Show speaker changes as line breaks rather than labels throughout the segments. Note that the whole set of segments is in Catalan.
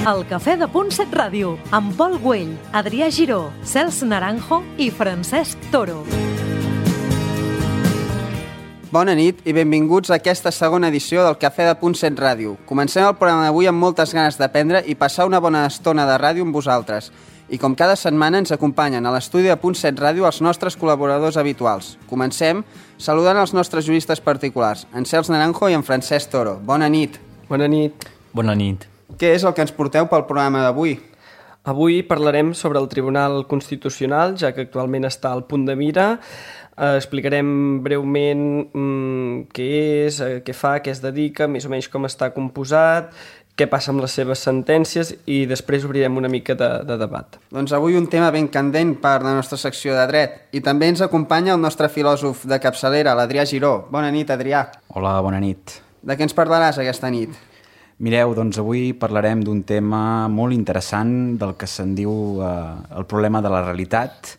El Cafè de Punt 7 Ràdio, amb Pol Güell, Adrià Giró, Cels Naranjo i Francesc Toro.
Bona nit i benvinguts a aquesta segona edició del Cafè de Punt 7 Ràdio. Comencem el programa d'avui amb moltes ganes d'aprendre i passar una bona estona de ràdio amb vosaltres. I com cada setmana ens acompanyen a l'estudi de Punt 7 Ràdio els nostres col·laboradors habituals. Comencem saludant els nostres juristes particulars, en Cels Naranjo i en Francesc Toro. Bona nit.
Bona nit.
Bona nit.
Què és el que ens porteu pel programa d'avui?
Avui parlarem sobre el Tribunal Constitucional, ja que actualment està al punt de mira. Explicarem breument què és, què fa, què es dedica, més o menys com està composat, què passa amb les seves sentències i després obrirem una mica de debat.
Doncs avui un tema ben candent per la nostra secció de dret. I també ens acompanya el nostre filòsof de capçalera, l'Adrià Giró. Bona nit, Adrià.
Hola, bona nit.
De què ens parlaràs aquesta nit?
Mireu, doncs avui parlarem d'un tema molt interessant del que se'n diu el problema de la realitat.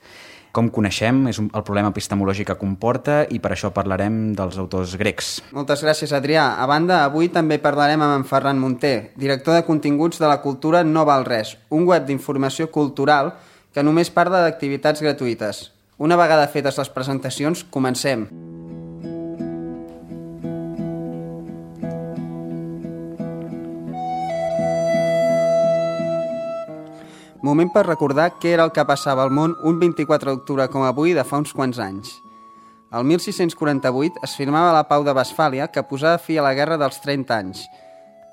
Com coneixem, és el problema epistemològic que comporta i per això parlarem dels autors grecs.
Moltes gràcies, Adrià. A banda, avui també parlarem amb en Ferran Munté, director de continguts de La Cultura No Val Res, un web d'informació cultural que només parla d'activitats gratuïtes. Una vegada fetes les presentacions, comencem. Moment per recordar què era el que passava al món un 24 d'octubre com avui de fa uns quants anys. El 1648 es firmava la Pau de Westfàlia que posava fi a la Guerra dels 30 anys.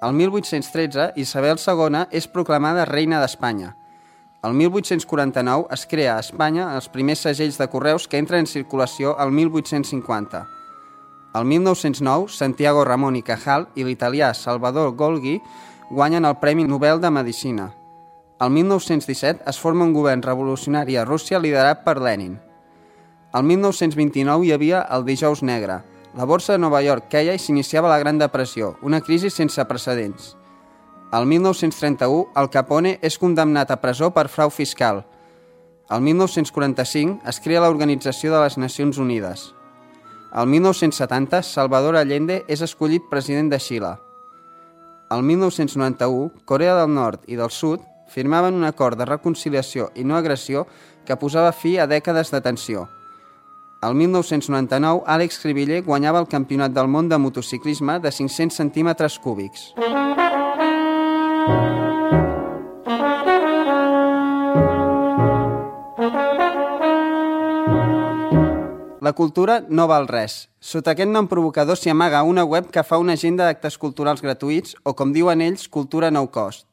El 1813 Isabel II és proclamada reina d'Espanya. El 1849 es crea a Espanya els primers segells de correus que entren en circulació el 1850. El 1909 Santiago Ramon y Cajal i l'italià Salvador Golgi guanyen el Premi Nobel de Medicina. El 1917 es forma un govern revolucionari a Rússia liderat per Lenin. El 1929 hi havia el Dijous Negre. La borsa de Nova York queia i s'iniciava la Gran Depressió, una crisi sense precedents. El 1931 Al Capone és condemnat a presó per frau fiscal. El 1945 es crea l'Organització de les Nacions Unides. El 1970 Salvador Allende és escollit president de Xile. El 1991 Corea del Nord i del Sud firmaven un acord de reconciliació i no agressió que posava fi a dècades de tensió. El 1999, Àlex Cribiller guanyava el Campionat del món de motociclisme de 500 centímetres cúbics. La cultura no val res. Sota aquest nom provocador s'hi amaga una web que fa una agenda d'actes culturals gratuïts o, com diuen ells, cultura no cost.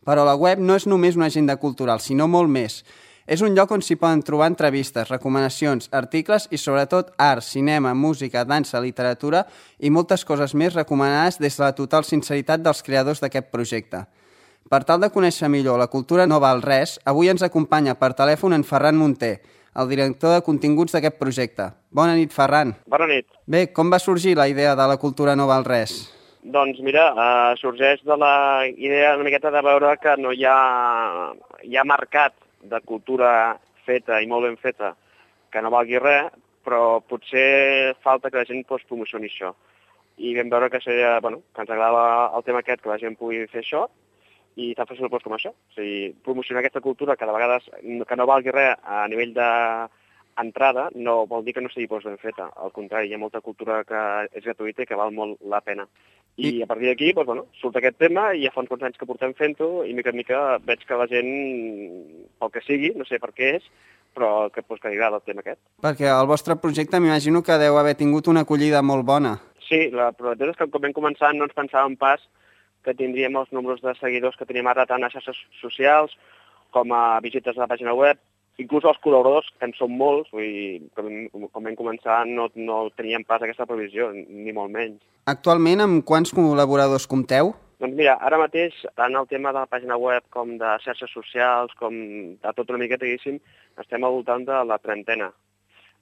Però la web no és només una agenda cultural, sinó molt més. És un lloc on s'hi poden trobar entrevistes, recomanacions, articles i sobretot art, cinema, música, dansa, literatura i moltes coses més recomanades des de la total sinceritat dels creadors d'aquest projecte. Per tal de conèixer millor la cultura no val res, avui ens acompanya per telèfon en Ferran Munté, el director de continguts d'aquest projecte. Bona nit, Ferran.
Bona nit.
Bé, com va sorgir la idea de la cultura no val res?
Doncs mira, sorgeix de la idea una miqueta de veure que no hi ha mercat de cultura feta i molt ben feta que no valgui res, però potser falta que la gent promocioni això. I vam veure que seria, que ens agrada el tema aquest, que la gent pugui fer això, i tan fàcil com això. O sigui, promocionar aquesta cultura que de vegades que no valgui res a nivell d'entrada no vol dir que no sigui ben feta. Al contrari, hi ha molta cultura que és gratuïta i que val molt la pena. I a partir d'aquí surt aquest tema i ja fa uns quants anys que portem fent-ho i mica en mica veig que la gent, pel que sigui, no sé per què és, però que li agrada el tema aquest.
Perquè el vostre projecte m'imagino que deu haver tingut una acollida molt bona.
Sí, la veritat és que quan vam començar no ens pensàvem pas que tindríem els números de seguidors que tenim ara tant a xarxes socials com a visites a la pàgina web. Inclús els col·laboradors, que en són molts, quan vam començar no teníem pas aquesta previsió, ni molt menys.
Actualment, amb quants col·laboradors compteu?
Doncs mira, ara mateix, tant el tema de la pàgina web com de xarxes socials, com de tot una miqueta, diguéssim, estem al voltant de la trentena.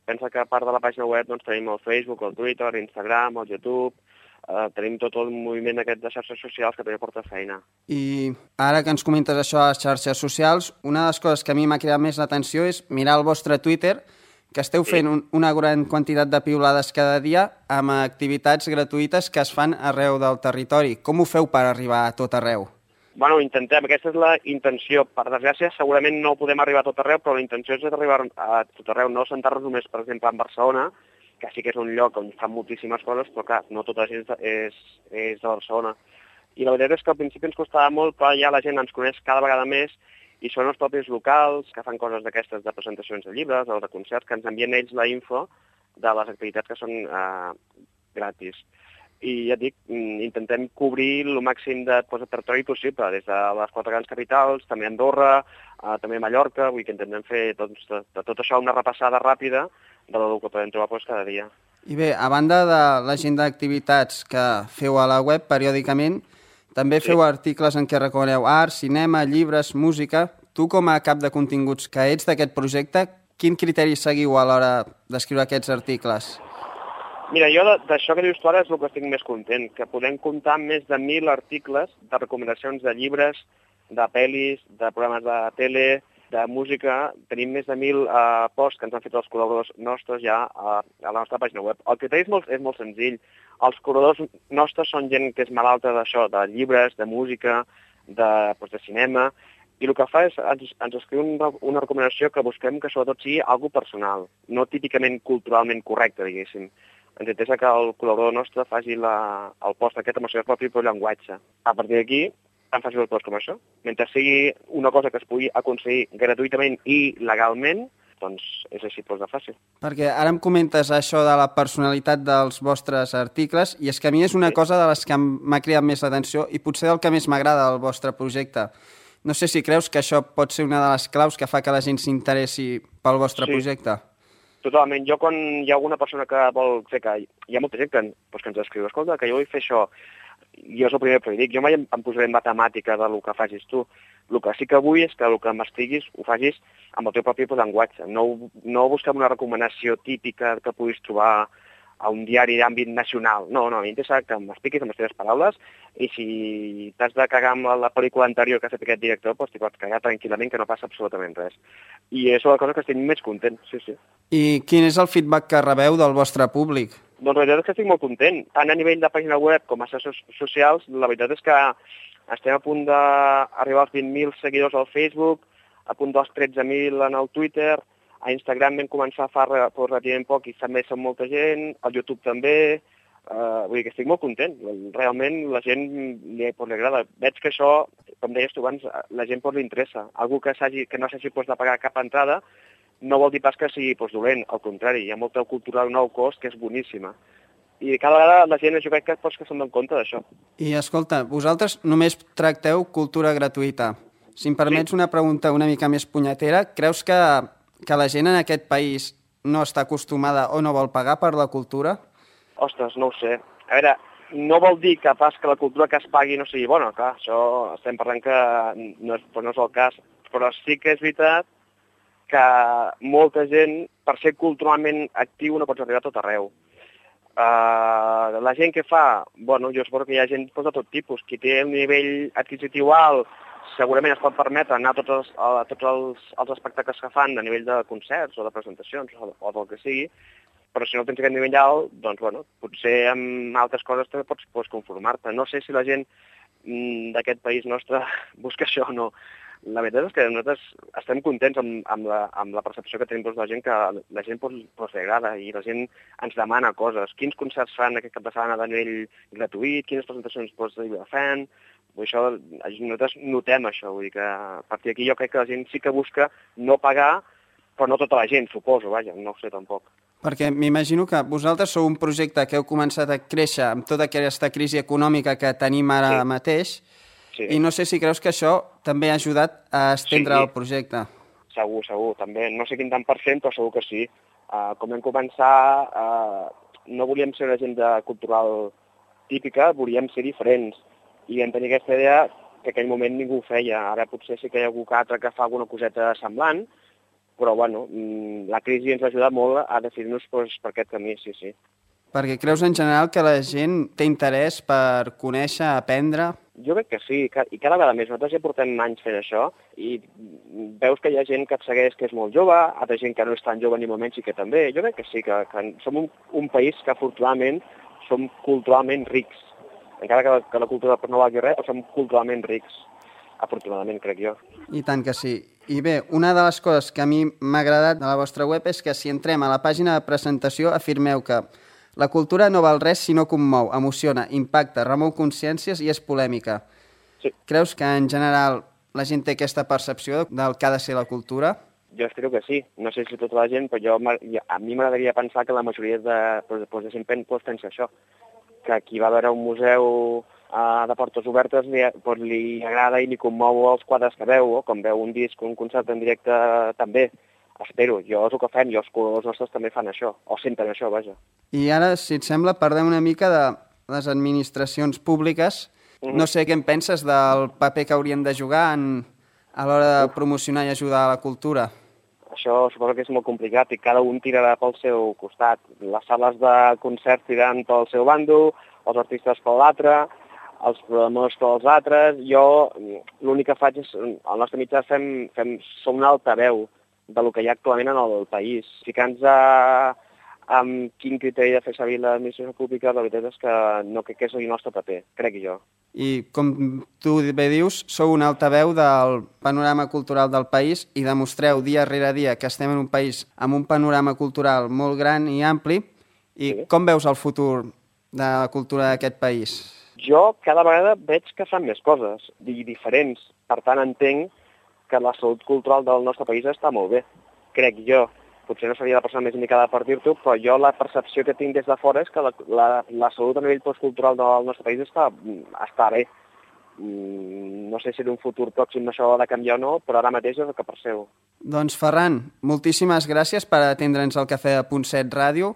Pensa que a part de la pàgina web tenim el Facebook, el Twitter, l'Instagram, el YouTube, tenim tot el moviment aquest de xarxes socials que també porta feina.
I ara que ens comentes això a les xarxes socials, una de les coses que a mi m'ha cridat més l'atenció és mirar el vostre Twitter, que esteu fent una gran quantitat de piulades cada dia amb activitats gratuïtes que es fan arreu del territori. Com ho feu per arribar a tot arreu?
Bueno, intentem, aquesta és la intenció. Per desgràcia, segurament no podem arribar a tot arreu, però la intenció és arribar a tot arreu, no sentar-nos només, per exemple, en Barcelona, que sí que és un lloc on fan moltíssimes coses, però clar, no tota la gent és de Barcelona. I la veritat és que al principi ens costava molt, però ja la gent ens coneix cada vegada més i són els propis locals que fan coses d'aquestes de presentacions de llibres o de concerts, que ens envien ells la info de les activitats que són gratis. I ja et dic, intentem cobrir el màxim de territori possible, des de les 4 grans capitals, també Andorra, també Mallorca, vull que intentem fer de tot això una repassada ràpida de lo que podem trobar cada dia.
I bé, a banda de l'agenda d'activitats que feu a la web periòdicament, també feu articles en què recomaneu art, cinema, llibres, música. Tu, com a cap de continguts que ets d'aquest projecte, quin criteri seguiu a l'hora d'escriure aquests articles?
Mira, jo d'això que dius tu ara és el que estic més content, que podem comptar amb més de 1.000 articles de recomanacions de llibres, de pel·lis, de programes de tele, de música. Tenim més de 1.000 posts que ens han fet els col·laboradors nostres ja a la nostra pàgina web. El criteri és molt senzill. Els col·laboradors nostres són gent que és malalta d'això, de llibres, de música, de cinema, i el que fa és ens escriu una recomanació que busquem que sobretot sigui algo personal, no típicament culturalment correcte, diguéssim. Ens interessa que el col·laborador nostre faci el post aquest amb el seu propi llenguatge. A partir d'aquí, tan fàcil el post com això. Mentre sigui una cosa que es pugui aconseguir gratuïtament i legalment, doncs és així de fàcil.
Perquè ara em comentes això de la personalitat dels vostres articles i és que a mi és una cosa de les que m'ha cridat més l'atenció i potser del que més m'agrada del vostre projecte. No sé si creus que això pot ser una de les claus que fa que la gent s'interessi pel vostre projecte.
Totalment. Jo, quan hi ha alguna persona que vol fer que... Hi ha molta gent que ens escriu, escolta, que jo vull fer això. Jo és el primer que dic. Jo mai em posaré en matemàtica del que facis tu. El que sí que vull és que el que m'estiguis ho facis amb el teu propi llenguatge. No busquem una recomanació típica que puguis trobar a un diari d'àmbit nacional. No, a mi m'interessa que m'expliquis amb les teves paraules i si t'has de cagar amb la pel·lícula anterior que ha fet aquest director, doncs t'hi pots cagar tranquil·lament, que no passa absolutament res. I és la cosa que estic més content, sí.
I quin és el feedback que rebeu del vostre públic?
Doncs la veritat és que estic molt content. Tant a nivell de pàgina web com a xarxes socials, la veritat és que estem a punt d'arribar als 20.000 seguidors al Facebook, a punt dels 13.000 en el Twitter, a Instagram vam començar fa relativament poc i també som molta gent, al YouTube també, vull dir que estic molt content. Realment la gent li agrada. Veig que això, com deies tu abans, la gent li interessa. Algú que no s'hagi de pagar cap entrada no vol dir pas que sigui dolent, al contrari, hi ha molta cultura al nou cost que és boníssima. I cada vegada la gent, jo crec que se'n dona compte d'això.
I escolta, vosaltres només tracteu cultura gratuïta. Si em permets una pregunta una mica més punyetera, creus que la gent en aquest país no està acostumada o no vol pagar per la cultura?
Ostres, no ho sé. A veure, no vol dir que pas que la cultura que es pagui no sigui bona, clar, això estem parlant que no és el cas, però sí que és veritat que molta gent, per ser culturalment actiu, no pots arribar a tot arreu. La gent que fa, bueno, jo suposo que hi ha gent de tot tipus. Qui té un nivell adquisitiu alt segurament es pot permetre anar a tots els espectacles que fan a nivell de concerts o de presentacions o del que sigui, però si no tens aquest nivell alt, doncs, bueno, potser amb altres coses també pots conformar-te. No sé si la gent d'aquest país nostre busca això o no. La veritat és que nosaltres estem contents amb la percepció que tenim de la gent, que la gent li agrada i la gent ens demana coses. Quins concerts fan aquest cap de setmana de nivell gratuït, quines presentacions fan. Això, nosaltres notem això, vull dir que a partir d'aquí jo crec que la gent sí que busca no pagar, però no tota la gent, suposo, vaja, no ho sé tampoc.
Perquè m'imagino que vosaltres sou un projecte que heu començat a créixer amb tota aquesta crisi econòmica que tenim ara mateix, i no sé si creus que això també ha ajudat a estendre el projecte.
Segur, també. No sé quin tant per cent, però segur que sí. Com vam començar, no volíem ser una agenda cultural típica, volíem ser diferents. I vam tenir aquesta idea que en aquell moment ningú ho feia. Ara potser sí que hi ha algú altre que fa alguna coseta semblant, però bueno, la crisi ens ha ajudat molt a decidir-nos per aquest camí, sí.
Perquè creus en general que la gent té interès per conèixer, aprendre?
Jo crec que sí, i cada vegada més. Nosaltres ja portem anys fent això i veus que hi ha gent que et segueix que és molt jove, altra gent que no és tan jove ni molt menys i que també. Jo crec que sí, que som un país que afortunadament som culturalment rics. Encara que la cultura no valgui res, som culturalment rics. afortunadament, crec jo.
I tant que sí. I bé, una de les coses que a mi m'ha agradat de la vostra web és que si entrem a la pàgina de presentació afirmeu que la cultura no val res si no commou, emociona, impacta, remou consciències i és polèmica.
Sí.
Creus que en general la gent té aquesta percepció del que ha de ser la cultura?
Jo espero que sí. No sé si tota la gent, però a mi m'agradaria pensar que la majoria de gent pensa això, que qui va veure un museu de portes obertes li agrada i li commou els quadres que veu, o com veu un disc o un concert en directe també. Espero, jo és el que fem, i els nostres també fan això, o senten això, vaja.
I ara, si et sembla, parlem una mica de les administracions públiques. No sé què en penses del paper que haurien de jugar a l'hora de promocionar i ajudar a la cultura.
Això suposo que és molt complicat i cada un tirarà pel seu costat. Les sales de concerts tiraran pel seu bando, els artistes per l'altre, els programadors pels altres. Jo l'únic que faig és, al nostre mitjà som un altaveu del que hi ha actualment en el país. Ficant-nos amb quin criteri de fer servir l'administració pública, la veritat és que no crec que és el nostre paper, crec jo.
I com tu bé dius, sou un altaveu del panorama cultural del país i demostreu dia rere dia que estem en un país amb un panorama cultural molt gran i ampli. I sí. Com veus el futur de la cultura d'aquest país?
Jo cada vegada veig que fan més coses i diferents. Per tant, entenc que la salut cultural del nostre país està molt bé, crec jo. Potser no seria la persona més indicada per dir-t'ho, però jo la percepció que tinc des de fora és que la salut a nivell postcultural del nostre país està bé. No sé si en un futur pròxim això ha de canviar o no, però ara mateix és el que percebo.
Doncs Ferran, moltíssimes gràcies per atendre'ns al Cafè de Punt 7 Ràdio,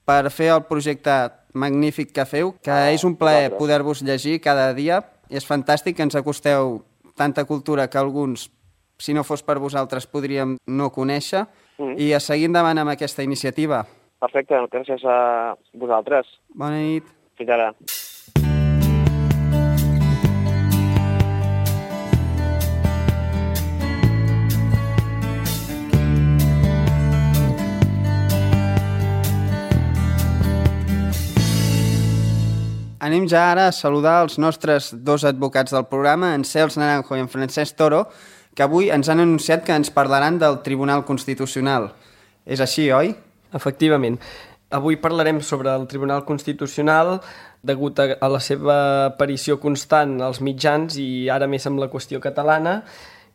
per fer el projecte magnífic que feu, que és un plaer poder-vos llegir cada dia. És fantàstic que ens acosteu tanta cultura que alguns, si no fos per vosaltres, podríem no conèixer. I a seguir endavant amb aquesta iniciativa.
Perfecte, gràcies a vosaltres.
Bona nit.
Fins ara.
Anem ja ara a saludar els nostres dos advocats del programa, en Cels Naranjo i en Francesc Toro, que avui ens han anunciat que ens parlaran del Tribunal Constitucional. És així, oi?
Efectivament. Avui parlarem sobre el Tribunal Constitucional degut a la seva aparició constant als mitjans i ara més amb la qüestió catalana,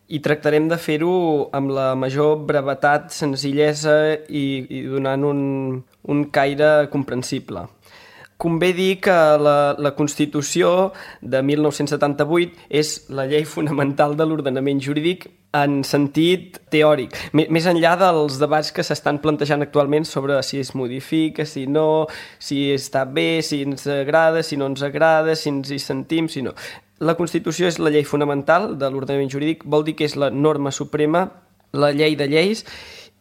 i tractarem de fer-ho amb la major brevetat, senzillesa i donant un caire comprensible. Convé dir que la Constitució de 1978 és la llei fonamental de l'ordenament jurídic en sentit teòric, més enllà dels debats que s'estan plantejant actualment sobre si es modifica, si no, si està bé, si ens agrada, si no ens agrada, si ens hi sentim, si no. La Constitució és la llei fonamental de l'ordenament jurídic, vol dir que és la norma suprema, la llei de lleis,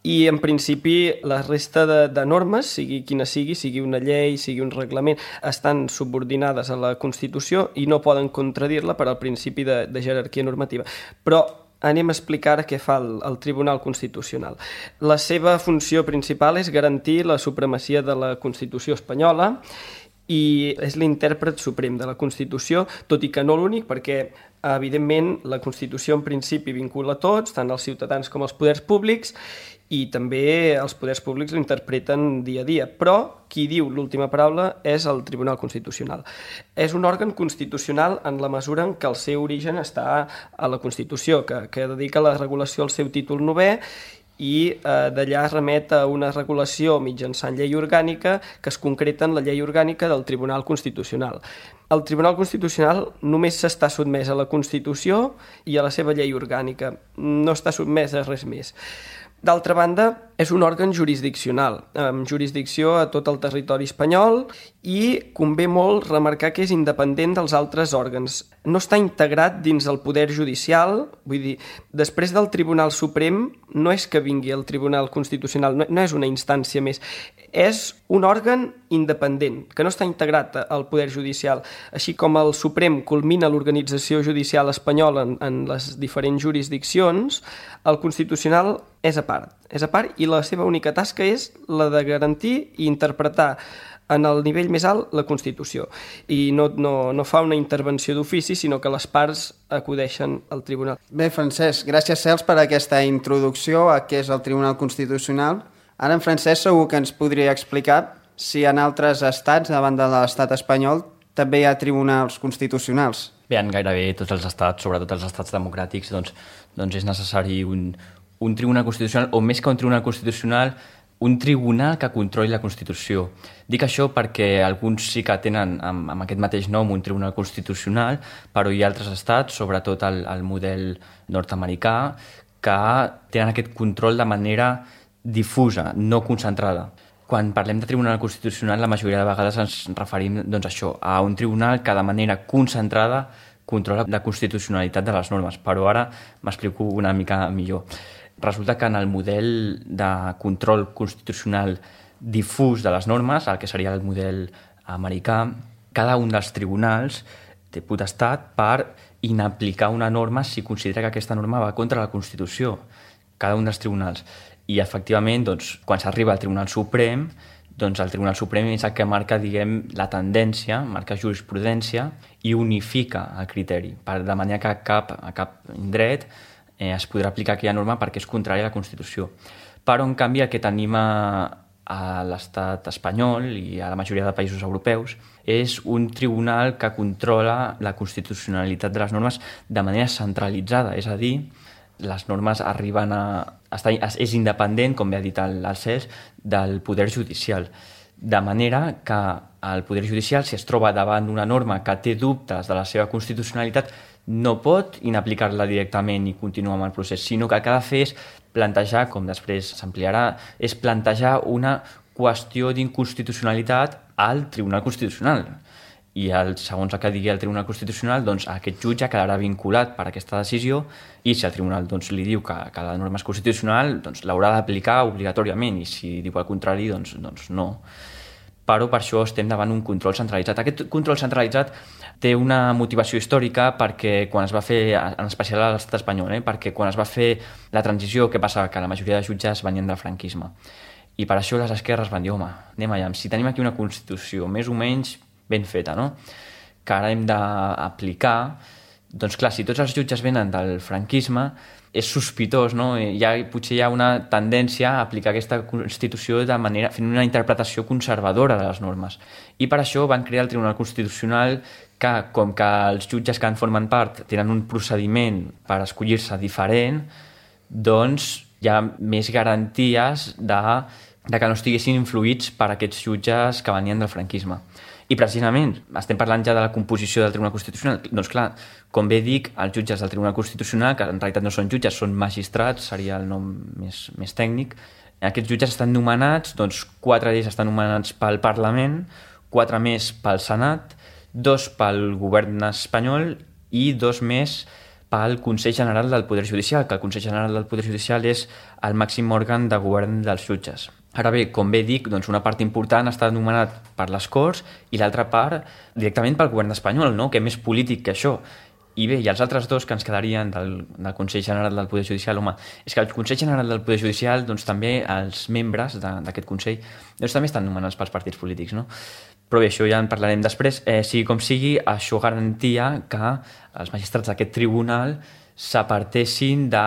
i en principi la resta de normes, sigui quina sigui una llei, sigui un reglament, estan subordinades a la Constitució i no poden contradir-la per al principi de jerarquia normativa. Però anem a explicar què fa el Tribunal Constitucional. La seva funció principal és garantir la supremacia de la Constitució espanyola i és l'intèrpret suprem de la Constitució, tot i que no l'únic, perquè evidentment la Constitució en principi vincula a tots, tant els ciutadans com els poders públics, i també els poders públics l'interpreten dia a dia, però qui diu l'última paraula és el Tribunal Constitucional. És un òrgan constitucional en la mesura en què el seu origen està a la Constitució, que dedica la regulació al seu títol 9è i d'allà remet a una regulació mitjançant llei orgànica que es concreta en la llei orgànica del Tribunal Constitucional. El Tribunal Constitucional només s'està sotmès a la Constitució i a la seva llei orgànica, no està sotmès a res més. D'altra banda, és un òrgan jurisdiccional, amb jurisdicció a tot el territori espanyol i convé molt remarcar que és independent dels altres òrgans. No està integrat dins el poder judicial, vull dir, després del Tribunal Suprem no és que vingui el Tribunal Constitucional, no és una instància més, és un òrgan independent, que no està integrat al poder judicial. Així com el Suprem culmina l'organització judicial espanyola en les diferents jurisdiccions, el Constitucional és a part i la seva única tasca és la de garantir i interpretar en el nivell més alt, la Constitució. I no fa una intervenció d'ofici, sinó que les parts acudeixen al tribunal.
Bé, Francesc, gràcies, Cels, per aquesta introducció a què és el Tribunal Constitucional. Ara en Francesc segur que ens podria explicar si en altres estats, a banda de l'estat espanyol, també hi ha tribunals constitucionals.
Bé, en gairebé tots els estats, sobretot els estats democràtics, doncs és necessari un tribunal constitucional, o més que un tribunal constitucional, un tribunal que controli la Constitució. Dic això perquè alguns sí que tenen amb aquest mateix nom un tribunal constitucional, però hi ha altres estats, sobretot el model nord-americà, que tenen aquest control de manera difusa, no concentrada. Quan parlem de tribunal constitucional, la majoria de vegades ens referim a un tribunal que de manera concentrada controla la constitucionalitat de les normes, però ara m'explico una mica millor. Resulta que en el model de control constitucional difús de les normes, el que seria el model americà, cada un dels tribunals té potestat per inaplicar una norma si considera que aquesta norma va contra la Constitució. Cada un dels tribunals. I, efectivament, quan s'arriba al Tribunal Suprem, el Tribunal Suprem és el que marca, la tendència, marca jurisprudència i unifica el criteri, de manera que a cap dret es podrà aplicar aquella norma perquè és contrària a la Constitució. Però, en canvi, el que tenim a l'estat espanyol i a la majoria de països europeus és un tribunal que controla la constitucionalitat de les normes de manera centralitzada, és a dir, les normes arriben és independent, com bé ha dit el Cels, del Poder Judicial. De manera que el Poder Judicial, si es troba davant d'una norma que té dubtes de la seva constitucionalitat, no pot inaplicar-la directament i continuar amb el procés, sinó que el que ha de fer és plantejar, com després s'ampliarà, és plantejar una qüestió d'inconstitucionalitat al Tribunal Constitucional. I segons el que digui el Tribunal Constitucional, aquest jutge quedarà vinculat per aquesta decisió i si el Tribunal li diu que la norma és constitucional, l'haurà d'aplicar obligatòriament i si diu el contrari, no. Però per això estem davant un control centralitzat. Aquest control centralitzat té una motivació històrica perquè quan es va fer, en especial a l'estat espanyol, perquè quan es va fer la transició, què passa? Que la majoria de jutges venien del franquisme. I per això les esquerres van dir, home, anem allà, si tenim aquí una Constitució més o menys ben feta, no? Que ara hem d'aplicar, clar, si tots els jutges venen del franquisme, és sospitós, no? Potser hi ha una tendència a aplicar aquesta Constitució de manera, fent una interpretació conservadora de les normes. I per això van crear el Tribunal Constitucional que, com que els jutges que en formen part tenen un procediment per escollir-se diferent, hi ha més garanties de que no estiguessin influïts per aquests jutges que venien del franquisme. I precisament, estem parlant ja de la composició del Tribunal Constitucional. Doncs clar, com bé dic, els jutges del Tribunal Constitucional, que en realitat no són jutges, són magistrats, seria el nom més tècnic, aquests jutges estan nomenats, 4 d'ells estan nomenats pel Parlament, 4 més pel Senat, 2 pel govern espanyol i 2 més pel Consell General del Poder Judicial, que el Consell General del Poder Judicial és el màxim òrgan de govern dels jutges. Ara bé, com bé dic, una part important està nomenat per les Corts i l'altra part directament pel govern espanyol, no? Que és més polític que això. I bé, i els altres 2 que ens quedarien del Consell General del Poder Judicial, home, és que el Consell General del Poder Judicial, també els membres d'aquest Consell, també estan nomenats pels partits polítics, no? Però bé, això ja en parlarem després. Sigui com sigui, això garantia que els magistrats d'aquest tribunal s'apartessin de,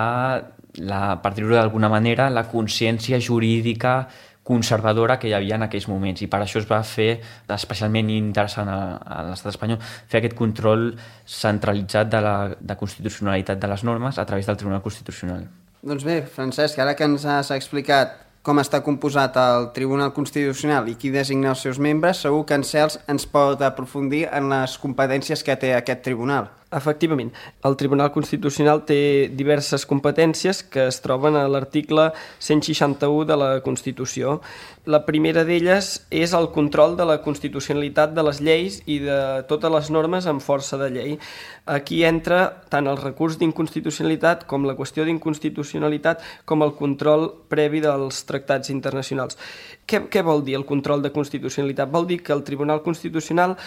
per dir-ho d'alguna manera, la consciència jurídica conservadora que hi havia en aquells moments. I per això es va fer, especialment interessant a l'estat espanyol, fer aquest control centralitzat de constitucionalitat de les normes a través del Tribunal Constitucional.
Doncs bé, Francesc, ara que ens has explicat com està composat el Tribunal Constitucional i qui designa els seus membres, segur que en Cels ens pot aprofundir en les competències que té aquest tribunal.
Efectivament, el Tribunal Constitucional té diverses competències que es troben a l'article 161 de la Constitució. La primera d'elles és el control de la constitucionalitat de les lleis i de totes les normes amb força de llei. Aquí entra tant el recurs d'inconstitucionalitat com la qüestió d'inconstitucionalitat com el control previ dels tractats internacionals. Què vol dir el control de constitucionalitat? Vol dir que el Tribunal Constitucional,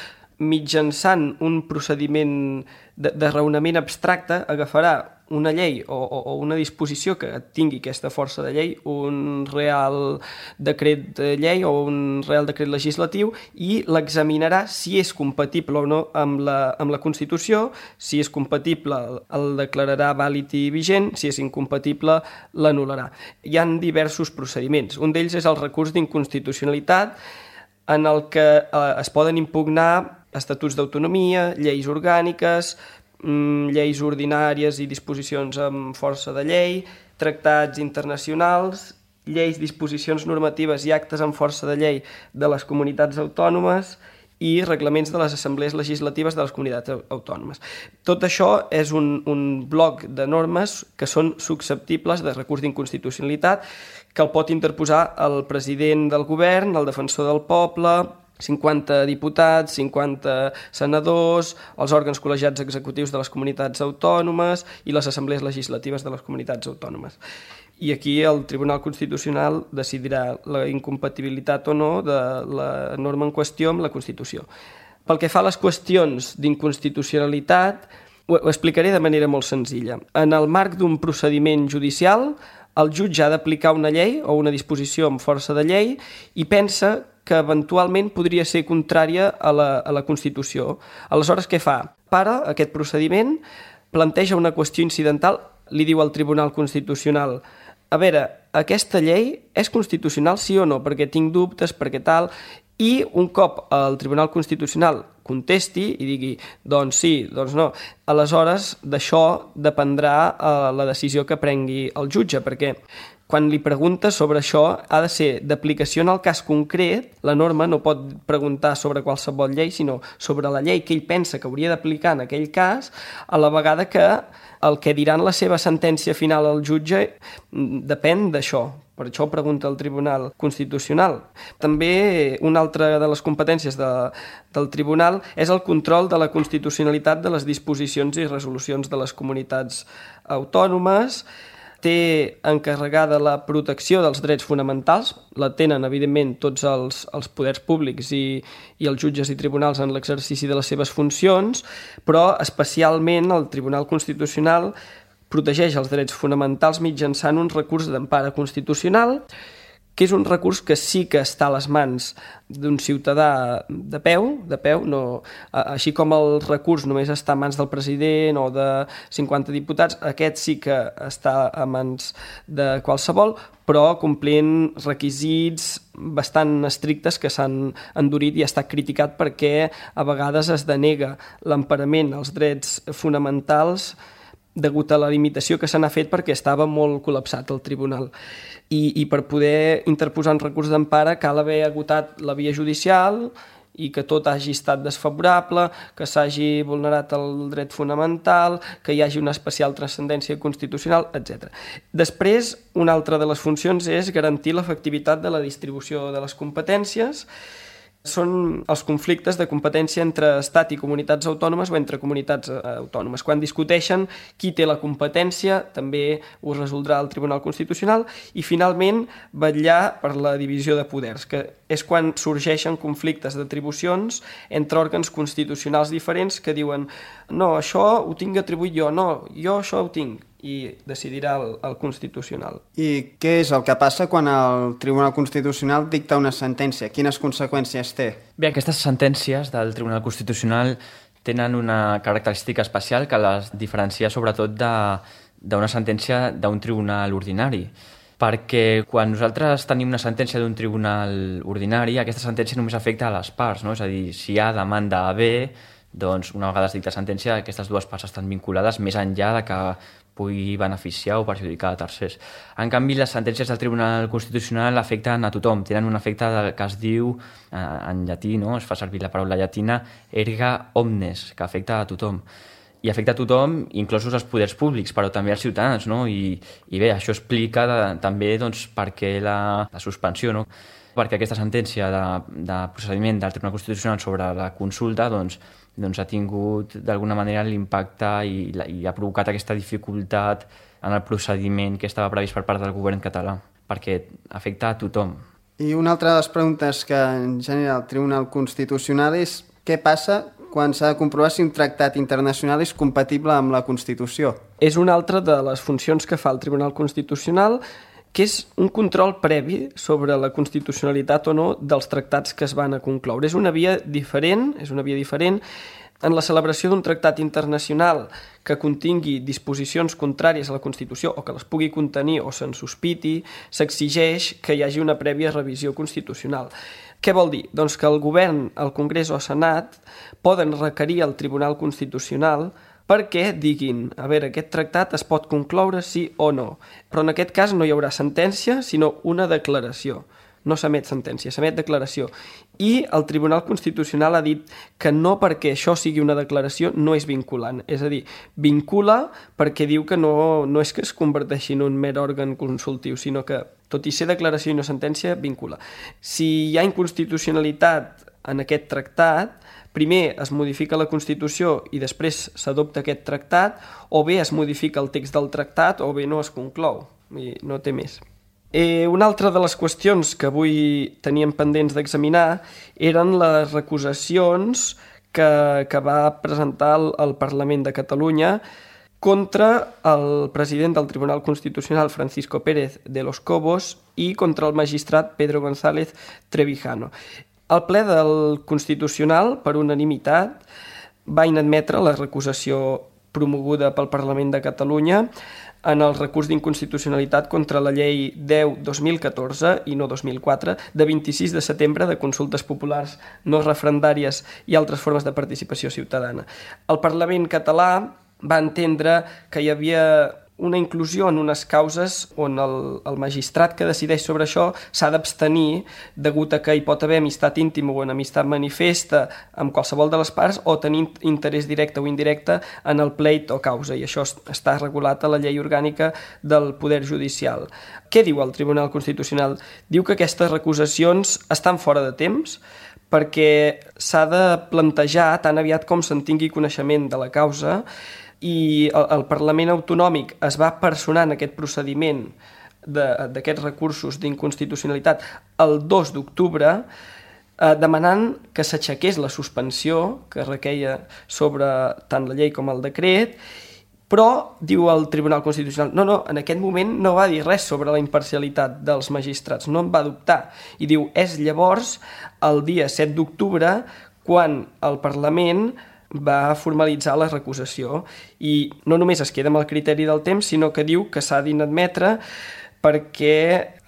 mitjançant un procediment de raonament abstracte, agafarà una llei o una disposició que tingui aquesta força de llei, un real decret de llei o un real decret legislatiu, i l'examinarà si és compatible o no amb la Constitució. Si és compatible, el declararà vàlid i vigent; si és incompatible, l'anul·larà. Hi ha diversos procediments. Un d'ells és el recurs d'inconstitucionalitat, en el que es poden impugnar estatuts d'autonomia, lleis orgàniques, lleis ordinàries i disposicions amb força de llei, tractats internacionals, lleis, disposicions normatives i actes amb força de llei de les comunitats autònomes i reglaments de les assemblees legislatives de les comunitats autònomes. Tot això és un bloc de normes que són susceptibles de recurs d'inconstitucionalitat, que el pot interposar el president del govern, el defensor del poble, 50 diputats, 50 senadors, els òrgans col·legiats executius de les comunitats autònomes i les assemblees legislatives de les comunitats autònomes. I aquí el Tribunal Constitucional decidirà la incompatibilitat o no de la norma en qüestió amb la Constitució. Pel que fa a les qüestions d'inconstitucionalitat, ho explicaré de manera molt senzilla. En el marc d'un procediment judicial, el jutge ha d'aplicar una llei o una disposició amb força de llei i pensa que eventualment podria ser contrària a la Constitució. Aleshores, què fa? Para aquest procediment, planteja una qüestió incidental, li diu al Tribunal Constitucional: a veure, aquesta llei és constitucional sí o no? Perquè tinc dubtes, perquè tal... I un cop el Tribunal Constitucional contesti i digui doncs sí, doncs no, aleshores d'això dependrà la decisió que prengui el jutge, perquè quan li pregunta sobre això ha de ser d'aplicació en el cas concret. La norma no pot preguntar sobre qualsevol llei, sinó sobre la llei que ell pensa que hauria d'aplicar en aquell cas, a la vegada que el que dirà en la seva sentència final al jutge depèn d'això. Per això ho pregunta el Tribunal Constitucional. També una altra de les competències del Tribunal és el control de la constitucionalitat de les disposicions i resolucions de les comunitats autònomes. Té encarregada la protecció dels drets fonamentals, la tenen, evidentment, tots els poders públics i els jutges i tribunals en l'exercici de les seves funcions, però especialment el Tribunal Constitucional protegeix els drets fonamentals mitjançant un recurs d'empara constitucional, que és un recurs que sí que està a les mans d'un ciutadà de peu, no, així com el recurs només està a mans del president o de 50 diputats, aquest sí que està a mans de qualsevol, però complint requisits bastant estrictes que s'han endurit i ha estat criticat perquè a vegades es denega l'emparament als drets fonamentals degut a la limitació que se n'ha fet perquè estava molt col·lapsat el tribunal. I per poder interposar un recurs d'empara cal haver agotat la via judicial i que tot hagi estat desfavorable, que s'hagi vulnerat el dret fonamental, que hi hagi una especial transcendència constitucional, etc. Després, una altra de les funcions és garantir l'efectivitat de la distribució de les competències. Són els conflictes de competència entre Estat i comunitats autònomes o entre comunitats autònomes. Quan discuteixen qui té la competència, també ho resoldrà el Tribunal Constitucional. I, finalment, vetllar per la divisió de poders, que és quan sorgeixen conflictes d'atribucions entre òrgans constitucionals diferents que diuen no, això ho tinc atribuït jo, no, jo això ho tinc, i decidirà el Constitucional.
I què és el que passa quan el Tribunal Constitucional dicta una sentència? Quines conseqüències té?
Bé, aquestes sentències del Tribunal Constitucional tenen una característica especial que les diferencia sobretot d'una sentència d'un tribunal ordinari. Perquè quan nosaltres tenim una sentència d'un tribunal ordinari, aquesta sentència només afecta a les parts, no? És a dir, si hi ha demanda A, B, doncs una vegada es dicta sentència, aquestes dues parts estan vinculades més enllà de que pugui beneficiar o perjudicar a tercers. En canvi, les sentències del Tribunal Constitucional afecten a tothom, tenen un efecte que es diu, en llatí, no? Es fa servir la paraula llatina, erga omnes, que afecta a tothom. I afecta a tothom, inclosos els poders públics, però també als ciutadans, no? I bé, això explica també doncs, per què la suspensió, no? Perquè aquesta sentència de procediment del Tribunal Constitucional sobre la consulta doncs ha tingut d'alguna manera l'impacte i ha provocat aquesta dificultat en el procediment que estava previst per part del govern català, perquè afecta a tothom.
I una altra de les preguntes que genera el Tribunal Constitucional és què passa quan s'ha de comprovar si un tractat internacional és compatible amb la Constitució.
És una altra de les funcions que fa el Tribunal Constitucional, que és un control previ sobre la constitucionalitat o no dels tractats que es van a concloure. És una via diferent. En la celebració d'un tractat internacional que contingui disposicions contràries a la Constitució o que les pugui contenir o se'n sospiti, s'exigeix que hi hagi una prèvia revisió constitucional. Què vol dir? Doncs que el govern, el Congrés o el Senat poden requerir al Tribunal Constitucional perquè diguin, a veure, aquest tractat es pot concloure sí o no. Però en aquest cas no hi haurà sentència, sinó una declaració. No s'emet sentència, s'emet declaració. I el Tribunal Constitucional ha dit que no perquè això sigui una declaració no és vinculant. És a dir, vincula perquè diu que no és que es converteixi en un mer òrgan consultiu, sinó que, tot i ser declaració i no sentència, vincula. Si hi ha inconstitucionalitat en aquest tractat, primer es modifica la Constitució i després s'adopta aquest tractat, o bé es modifica el text del tractat o bé no es conclou. I no té més. Una altra de les qüestions que avui teníem pendents d'examinar eren les recusacions que va presentar el Parlament de Catalunya contra el president del Tribunal Constitucional, Francisco Pérez de los Cobos, i contra el magistrat Pedro González Trevijano. El ple del Constitucional, per unanimitat, va inadmetre la recusació promoguda pel Parlament de Catalunya en el recurs d'inconstitucionalitat contra la llei 10-2014 i no 2004 de 26 de setembre de consultes populars no referendàries i altres formes de participació ciutadana. El Parlament català va entendre que hi havia una inclusió en unes causes on el magistrat que decideix sobre això s'ha d'abstenir degut a que hi pot haver amistat íntima o enemistat manifesta amb qualsevol de les parts o tenir interès directe o indirecte en el pleit o causa, i això està regulat a la llei orgànica del Poder Judicial. Què diu el Tribunal Constitucional? Diu que aquestes recusacions estan fora de temps perquè s'ha de plantejar tan aviat com se'n tingui coneixement de la causa, i el Parlament Autonòmic es va personar en aquest procediment d'aquests recursos d'inconstitucionalitat el 2 d'octubre demanant que s'aixequés la suspensió que requeia sobre tant la llei com el decret, però, diu el Tribunal Constitucional, no, en aquest moment no va dir res sobre la imparcialitat dels magistrats, no en va dubtar. I diu, és llavors, el dia 7 d'octubre, quan el Parlament va formalitzar la recusació, i no només es queda amb el criteri del temps, sinó que diu que s'ha d'inadmetre perquè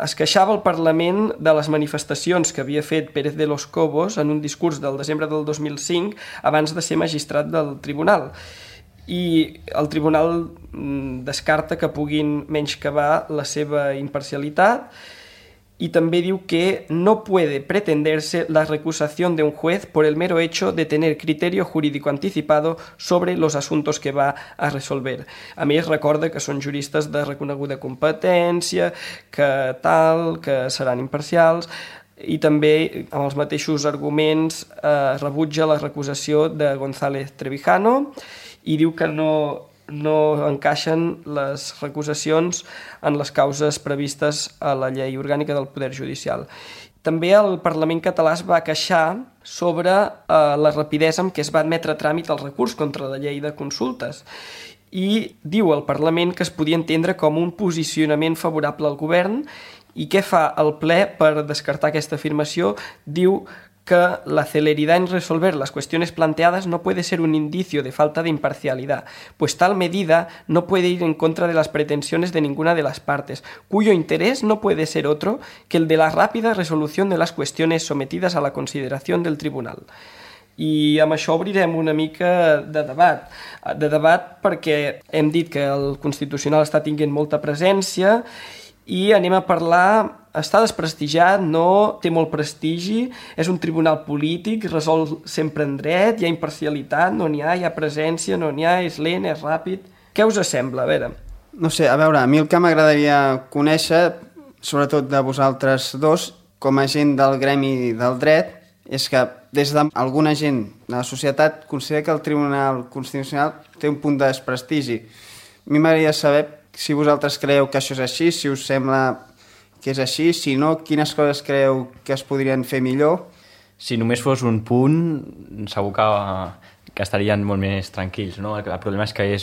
es queixava el Parlament de les manifestacions que havia fet Pérez de los Cobos en un discurs del desembre del 2005 abans de ser magistrat del tribunal. I el tribunal descarta que puguin menyscabar la seva imparcialitat, y també diu que no puede pretenderse la recusación de un juez por el mero hecho de tener criterio jurídico anticipado sobre los asuntos que va a resolver. A més, recorda que són juristes de reconeguda competència, que seran imparcials, i també amb els mateixos arguments rebutja la recusació de González Trevijano i diu que no encaixen les recusacions en les causes previstes a la llei orgànica del Poder Judicial. També el Parlament català es va queixar sobre la rapidesa amb què es va admetre a tràmit el recurs contra la llei de consultes i diu el Parlament que es podia entendre com un posicionament favorable al govern. I què fa el ple per descartar aquesta afirmació? Diu que la celeridad en resolver las cuestiones planteadas no puede ser un indicio de falta de imparcialidad, pues tal medida no puede ir en contra de las pretensiones de ninguna de las partes, cuyo interés no puede ser otro que el de la rápida resolución de las cuestiones sometidas a la consideración del tribunal. I amb això obrirem una mica de debat perquè hem dit que el Constitucional està tinguent molta presència i anem a parlar. Està desprestigiat, no té molt prestigi, és un tribunal polític, resol sempre en dret, hi ha imparcialitat, no n'hi ha presència, no n'hi ha, és lent, és ràpid. Què us sembla? A veure.
No sé, a veure, a mi el que m'agradaria conèixer, sobretot de vosaltres dos, com a gent del gremi del dret, és que des d'alguna gent de la societat considera que el Tribunal Constitucional té un punt de desprestigi. A mi m'agradaria saber si vosaltres creieu que això és així, si us sembla que és així, si no, quines coses creu que es podrien fer millor?
Si només fos un punt, segur que que estarien molt més tranquils, no? El problema és que ja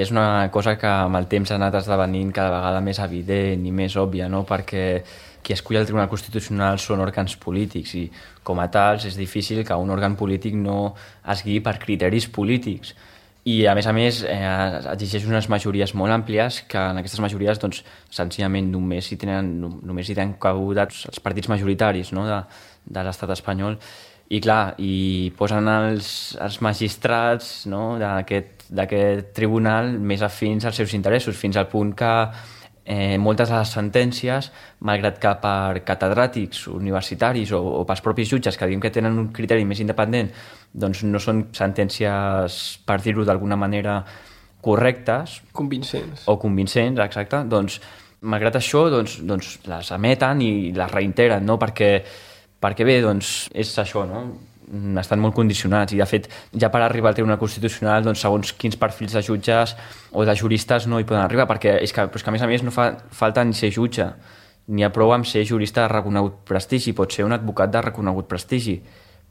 és una cosa que amb el temps ha anat esdevenint cada vegada més evident i més òbvia, no? Perquè qui escull el Tribunal Constitucional són òrgans polítics i, com a tals, és difícil que un òrgan polític no es guiï per criteris polítics. I, a més, exigeix unes majories molt àmplies que en aquestes majories, doncs, senzillament només hi tenen cabuda els partits majoritaris, no? de l'estat espanyol. I, clar, hi posen els magistrats, no? d'aquest tribunal més afins als seus interessos, fins al punt que moltes de les sentències, malgrat que per catedràtics universitaris o pels propis jutges que diguem que tenen un criteri més independent, doncs no són sentències, per dir-ho d'alguna manera, correctes.
Convincents.
O convincents, exacte. Doncs, malgrat això, doncs les emeten i les reiteren, no? Perquè bé, doncs, és això, no? Estan molt condicionats i, de fet, ja per arribar al Tribunal Constitucional, doncs, segons quins perfils de jutges o de juristes no hi poden arribar, perquè és que a més no fa falta ni ser jutge, ni ha prou amb ser jurista de reconegut prestigi, pot ser un advocat de reconegut prestigi,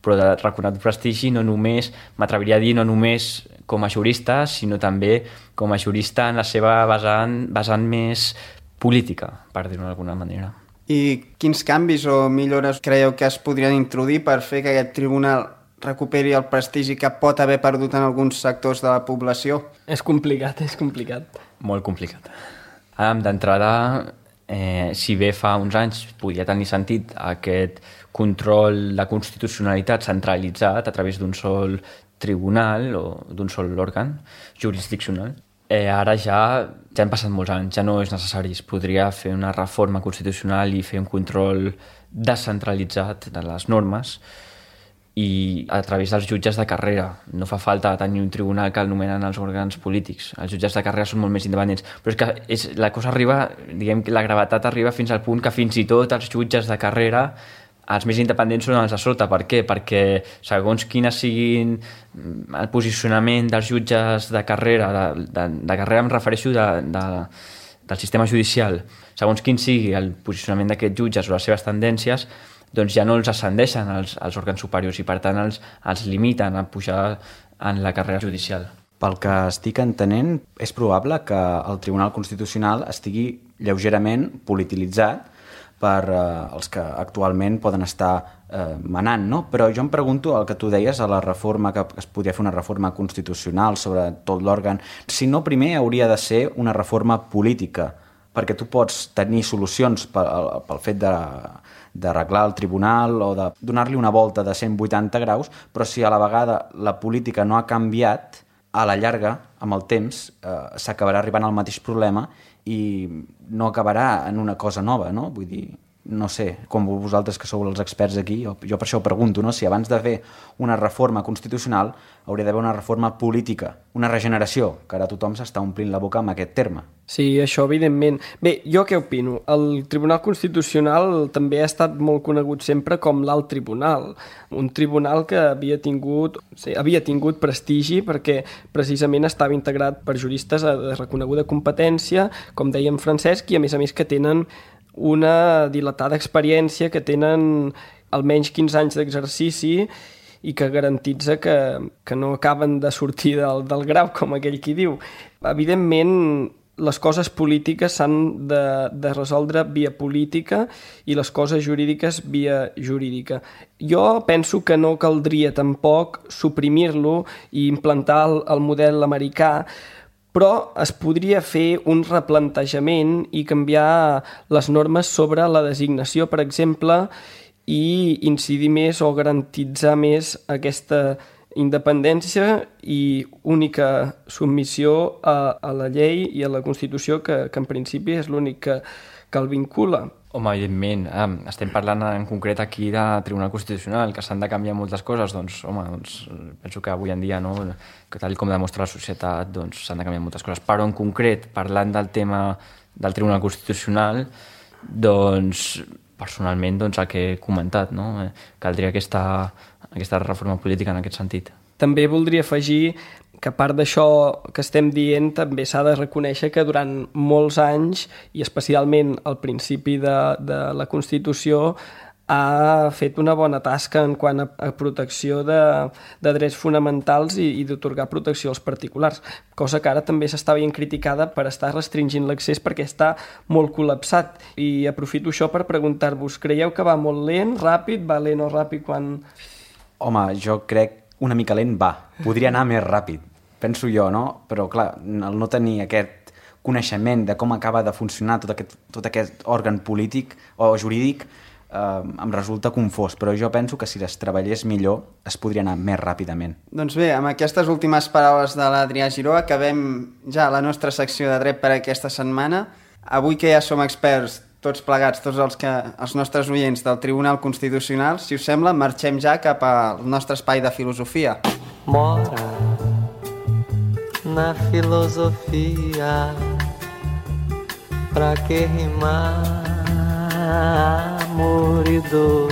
però de reconegut prestigi no només, m'atreviria a dir, no només com a jurista, sinó també com a jurista en la seva vessant més política, per dir-ho d'alguna manera.
I quins canvis o millores creieu que es podrien introduir per fer que aquest tribunal recuperi el prestigi que pot haver perdut en alguns sectors de la població?
És complicat.
Molt complicat. D'entrada, si bé fa uns anys podia tenir sentit aquest control de constitucionalitat centralitzat a través d'un sol tribunal o d'un sol òrgan jurisdiccional, ara ja han passat molts anys, ja no és necessari. Es podria fer una reforma constitucional i fer un control descentralitzat de les normes i a través dels jutges de carrera. No fa falta tenir un tribunal que el nomenen els òrgans polítics. Els jutges de carrera són molt més independents. Però és que la cosa arriba, diguem que la gravetat arriba fins al punt que fins i tot els jutges de carrera, els més independents són els de sota. Per què? Perquè segons quina siguin el posicionament dels jutges de carrera, de carrera em refereixo del sistema judicial, segons quin sigui el posicionament d'aquests jutges o les seves tendències, doncs ja no els ascendeixen als òrgans superiors i per tant els limiten a pujar en la carrera judicial.
Pel que estic entenent, és probable que el Tribunal Constitucional estigui lleugerament polititzat per els que actualment poden estar manant, no? Però jo em pregunto el que tu deies a la reforma, que es podria fer una reforma constitucional sobre tot l'òrgan, si no primer hauria de ser una reforma política, perquè tu pots tenir solucions pel fet d'arreglar el tribunal o de donar-li una volta de 180 graus, però si a la vegada la política no ha canviat, a la llarga, amb el temps, s'acabarà arribant al mateix problema i no acabarà en una cosa nova, no? Vull dir, no sé, com vosaltres que sou els experts aquí, jo per això ho pregunto, no? Si abans de fer una reforma constitucional hauria d'haver una reforma política, una regeneració, que ara tothom s'està omplint la boca amb aquest terme.
Sí, això evidentment. Bé, jo què opino? El Tribunal Constitucional també ha estat molt conegut sempre com l'Alt Tribunal, un tribunal que havia tingut prestigi perquè precisament estava integrat per juristes de reconeguda competència, com deia en Francesc, i a més que tenen una dilatada experiència, que tenen almenys 15 anys d'exercici i que garantitza que no acaben de sortir del grau, com aquell qui diu. Evidentment, les coses polítiques s'han de resoldre via política i les coses jurídiques via jurídica. Jo penso que no caldria tampoc suprimir-lo i implantar el model americà, però es podria fer un replantejament i canviar les normes sobre la designació, per exemple, i incidir més o garantitzar més aquesta independència i única submissió a la llei i a la Constitució, que en principi és l'únic que el vincula.
Home, evidentment, estem parlant en concret aquí de Tribunal Constitucional, que s'han de canviar moltes coses, doncs penso que avui en dia, no, que tal com demostra la societat, doncs s'han de canviar moltes coses. Però en concret, parlant del tema del Tribunal Constitucional, doncs personalment el que he comentat, no? Caldria aquesta reforma política en aquest sentit.
També voldria afegir que a part d'això que estem dient, també s'ha de reconèixer que durant molts anys, i especialment al principi de la Constitució, ha fet una bona tasca en quant a protecció de drets fonamentals i d'otorgar protecció als particulars, cosa que ara també s'està veient criticada per estar restringint l'accés perquè està molt col·lapsat. I aprofito això per preguntar-vos, creieu que va molt lent, ràpid, va lent o ràpid quan...
Home, jo crec una mica lent va. Podria anar més ràpid, penso jo, no? Però clar, el no tenir aquest coneixement de com acaba de funcionar tot aquest òrgan polític o jurídic em resulta confós, però jo penso que si es treballés millor es podria anar més ràpidament.
Doncs bé, amb aquestes últimes paraules de l'Adrià Giró acabem ja la nostra secció de dret per aquesta setmana. Avui que ja som experts tots plegats, tots els nostres oients del Tribunal Constitucional, si us sembla, marxem ja cap al nostre espai de filosofia.
Mora na filosofia, pra que rimar amor i dor.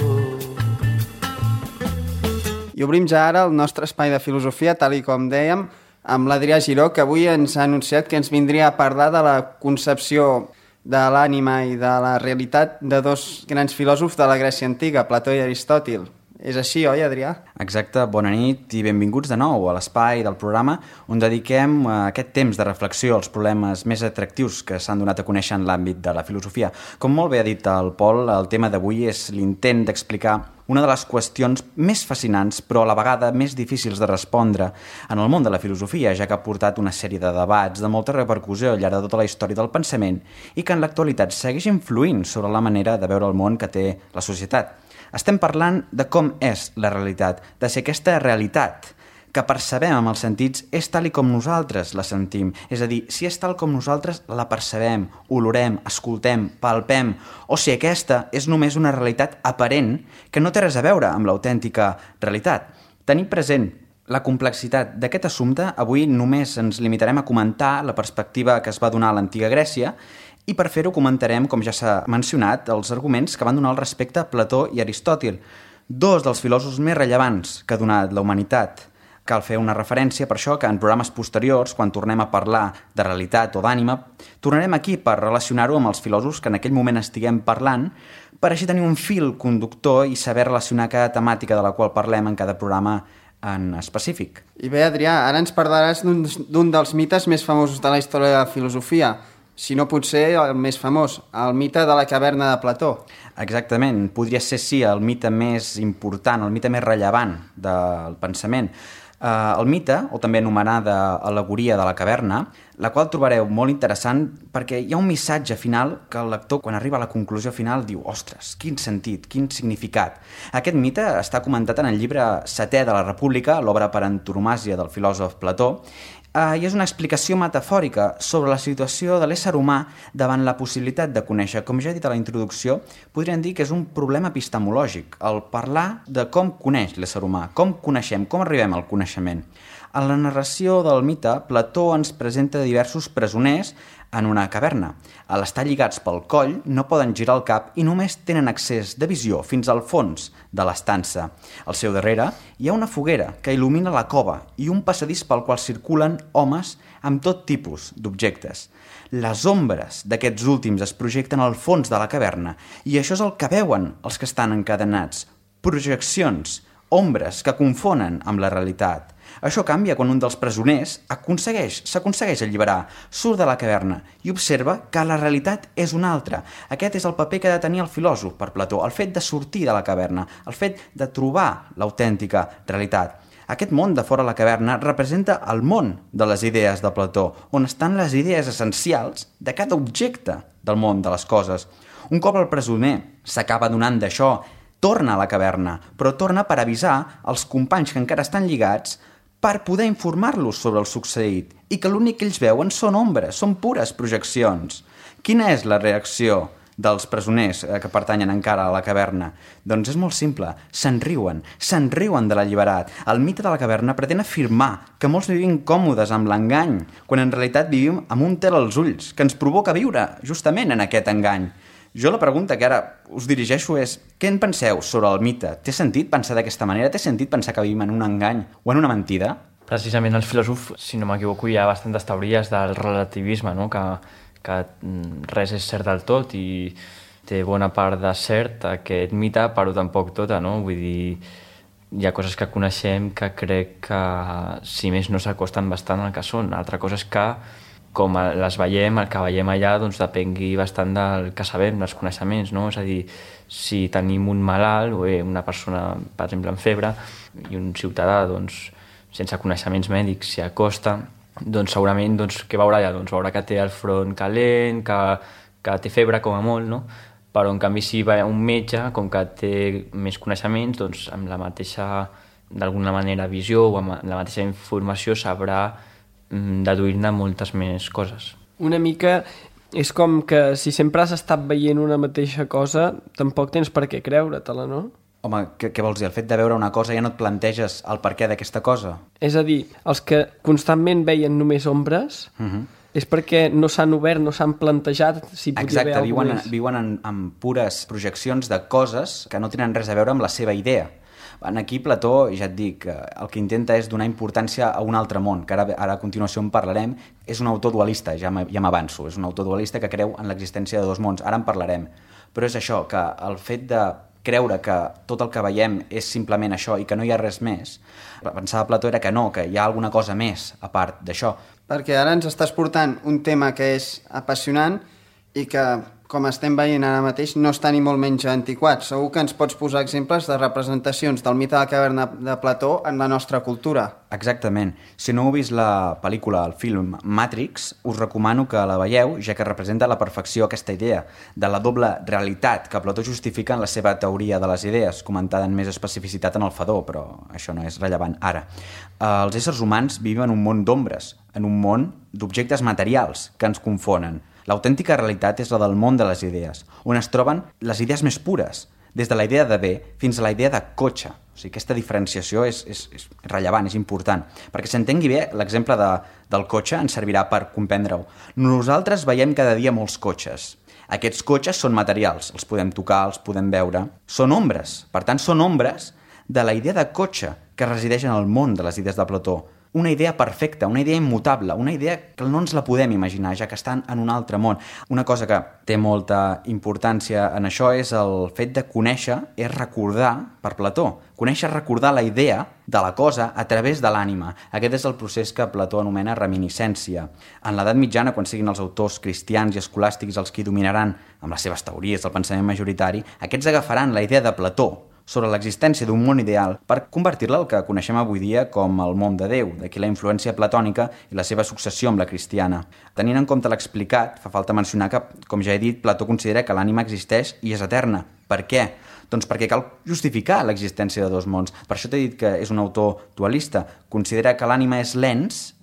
I obrim ja ara el nostre espai de filosofia, tal i com dèiem, amb l'Adrià Giró, que avui ens ha anunciat que ens vindria a parlar de la concepció de l'ànima i de la realitat de dos grans filòsofs de la Grècia antiga, Plató i Aristòtil. És així, oi, Adrià?
Exacte, bona nit i benvinguts de nou a l'espai del programa on dediquem aquest temps de reflexió als problemes més atractius que s'han donat a conèixer en l'àmbit de la filosofia. Com molt bé ha dit el Pol, el tema d'avui és l'intent d'explicar una de les qüestions més fascinants però a la vegada més difícils de respondre en el món de la filosofia, ja que ha portat una sèrie de debats de molta repercussió al llarg de tota la història del pensament i que en l'actualitat segueix influint sobre la manera de veure el món que té la societat. Estem parlant de com és la realitat, de si aquesta realitat que percebem amb els sentits és tal i com nosaltres la sentim. És a dir, si és tal com nosaltres la percebem, olorem, escoltem, palpem, o si aquesta és només una realitat aparent que no té res a veure amb l'autèntica realitat. Tenir present la complexitat d'aquest assumpte, avui només ens limitarem a comentar la perspectiva que es va donar a l'antiga Grècia i per fer-ho comentarem, com ja s'ha mencionat, els arguments que van donar al respecte a Plató i Aristòtil, dos dels filòsofs més rellevants que ha donat la humanitat. Cal fer una referència per això que en programes posteriors, quan tornem a parlar de realitat o d'ànima, tornarem aquí per relacionar-ho amb els filòsofs que en aquell moment estiguem parlant, per així tenir un fil conductor i saber relacionar cada temàtica de la qual parlem en cada programa en específic.
I bé, Adrià, ara ens parlaràs d'un dels mites més famosos de la història de la filosofia, si no potser el més famós, el mite de la caverna de Plató.
Exactament, podria ser, sí, el mite més important, el mite més rellevant del pensament. El mite, o també anomenada al·legoria de la caverna, la qual trobareu molt interessant perquè hi ha un missatge final que el lector, quan arriba a la conclusió final, diu «Ostres, quin sentit, quin significat». Aquest mite està comentat en el llibre setè de la República, l'obra per antonomàsia del filòsof Plató, i és una explicació metafòrica sobre la situació de l'ésser humà davant la possibilitat de conèixer. Com ja he dit a la introducció, podríem dir que és un problema epistemològic, el parlar de com coneix l'ésser humà, com coneixem, com arribem al coneixement. En la narració del mite, Plató ens presenta diversos presoners en una caverna. A l'estar lligats pel coll, no poden girar el cap i només tenen accés de visió fins al fons de l'estança. Al seu darrere hi ha una foguera que il·lumina la cova i un passadís pel qual circulen homes amb tot tipus d'objectes. Les ombres d'aquests últims es projecten al fons de la caverna i això és el que veuen els que estan encadenats. Projeccions, ombres que confonen amb la realitat. Això canvia quan un dels presoners s'aconsegueix alliberar, surt de la caverna i observa que la realitat és una altra. Aquest és el paper que ha de tenir el filòsof per Plató, el fet de sortir de la caverna, el fet de trobar l'autèntica realitat. Aquest món de fora la caverna representa el món de les idees de Plató, on estan les idees essencials de cada objecte del món de les coses. Un cop el presoner s'acaba donant d'això, torna a la caverna, però torna per avisar els companys que encara estan lligats per poder informar-los sobre el succeït i que l'únic que ells veuen són ombres, són pures projeccions. Quina és la reacció dels presoners que pertanyen encara a la caverna? Doncs és molt simple, se'n riuen de l'alliberat. El mite de la caverna pretén afirmar que molts vivim còmodes amb l'engany, quan en realitat vivim amb un tel als ulls, que ens provoca viure justament en aquest engany. Jo la pregunta que ara us dirigeixo és, què en penseu sobre el mite? Té sentit pensar d'aquesta manera? Té sentit pensar que vivim en un engany o en una mentida?
Precisament els filòsofs, si no m'equivoco, hi ha bastantes teories del relativisme, no? que res és cert del tot i té bona part de cert aquest mite, però tampoc tota, no? Vull dir, hi ha coses que coneixem que crec que, si més no, s'acosten bastant al que són. Altra cosa és que, com les veiem, el que veiem allà doncs, depengui bastant del que sabem, dels coneixements, no? És a dir, si tenim un malalt o una persona, per exemple, amb febre, i un ciutadà, doncs, sense coneixements mèdics s'hi acosta, doncs segurament doncs, què veurà allà? Doncs veurà que té el front calent, que té febre com a molt, no? Però en canvi si va un metge, com que té més coneixements, doncs amb la mateixa, d'alguna manera, visió o amb la mateixa informació sabrà deduir-ne moltes més coses.
Una mica és com que si sempre has estat veient una mateixa cosa, tampoc tens per què creure-te-la, no?
Home, què vols dir? El fet de veure una cosa ja no et planteges el per què d'aquesta cosa?
És a dir, els que constantment veien només ombres... és perquè no s'han obert, no s'han plantejat si podia haver alguna més.
Viuen en pures projeccions de coses que no tenen res a veure amb la seva idea. Aquí Plató, ja et dic, el que intenta és donar importància a un altre món, que ara a continuació en parlarem. És un autor dualista, ja m'avanço, és un autor dualista que creu en l'existència de dos mons, ara en parlarem. Però és això, que el fet de creure que tot el que veiem és simplement això i que no hi ha res més, pensava Plató era que no, que hi ha alguna cosa més a part d'això.
Perquè ara ens estàs portant un tema que és apassionant i que, com estem veient ara mateix, no està ni molt menys antiquat. Segur que ens pots posar exemples de representacions del mite de la caverna de Plató en la nostra cultura.
Exactament. Si no heu vist la pel·lícula, el film Matrix, us recomano que la veieu, ja que representa a la perfecció aquesta idea de la doble realitat que Plató justifica en la seva teoria de les idees, comentada en més especificitat en el Fedó, però això no és rellevant ara. Els éssers humans viuen en un món d'ombres, en un món d'objectes materials que ens confonen. L'autèntica realitat és la del món de les idees, on es troben les idees més pures, des de la idea de bé fins a la idea de cotxe. O sigui, aquesta diferenciació és rellevant, és important. Perquè s'entengui bé, l'exemple del cotxe ens servirà per comprendre-ho. Nosaltres veiem cada dia molts cotxes. Aquests cotxes són materials, els podem tocar, els podem veure. Són ombres, per tant, són ombres de la idea de cotxe que resideix en el món de les idees de Plató. Una idea perfecta, una idea immutable, una idea que no ens la podem imaginar, ja que estan en un altre món. Una cosa que té molta importància en això és el fet de conèixer, és recordar, per Plató, conèixer, recordar la idea de la cosa a través de l'ànima. Aquest és el procés que Plató anomena reminiscència. En l'edat mitjana, quan siguin els autors cristians i escolàstics els que dominaran amb les seves teories del pensament majoritari, aquests agafaran la idea de Plató sobre l'existència d'un món ideal per convertir-la al que coneixem avui dia com el món de Déu, d'aquí la influència platònica i la seva successió amb la cristiana. Tenint en compte l'explicat, fa falta mencionar que, com ja he dit, Plató considera que l'ànima existeix i és eterna. Per què? Doncs perquè cal justificar l'existència de dos mons. Per això t'he dit que és un autor dualista. Considera que l'ànima és l'ens,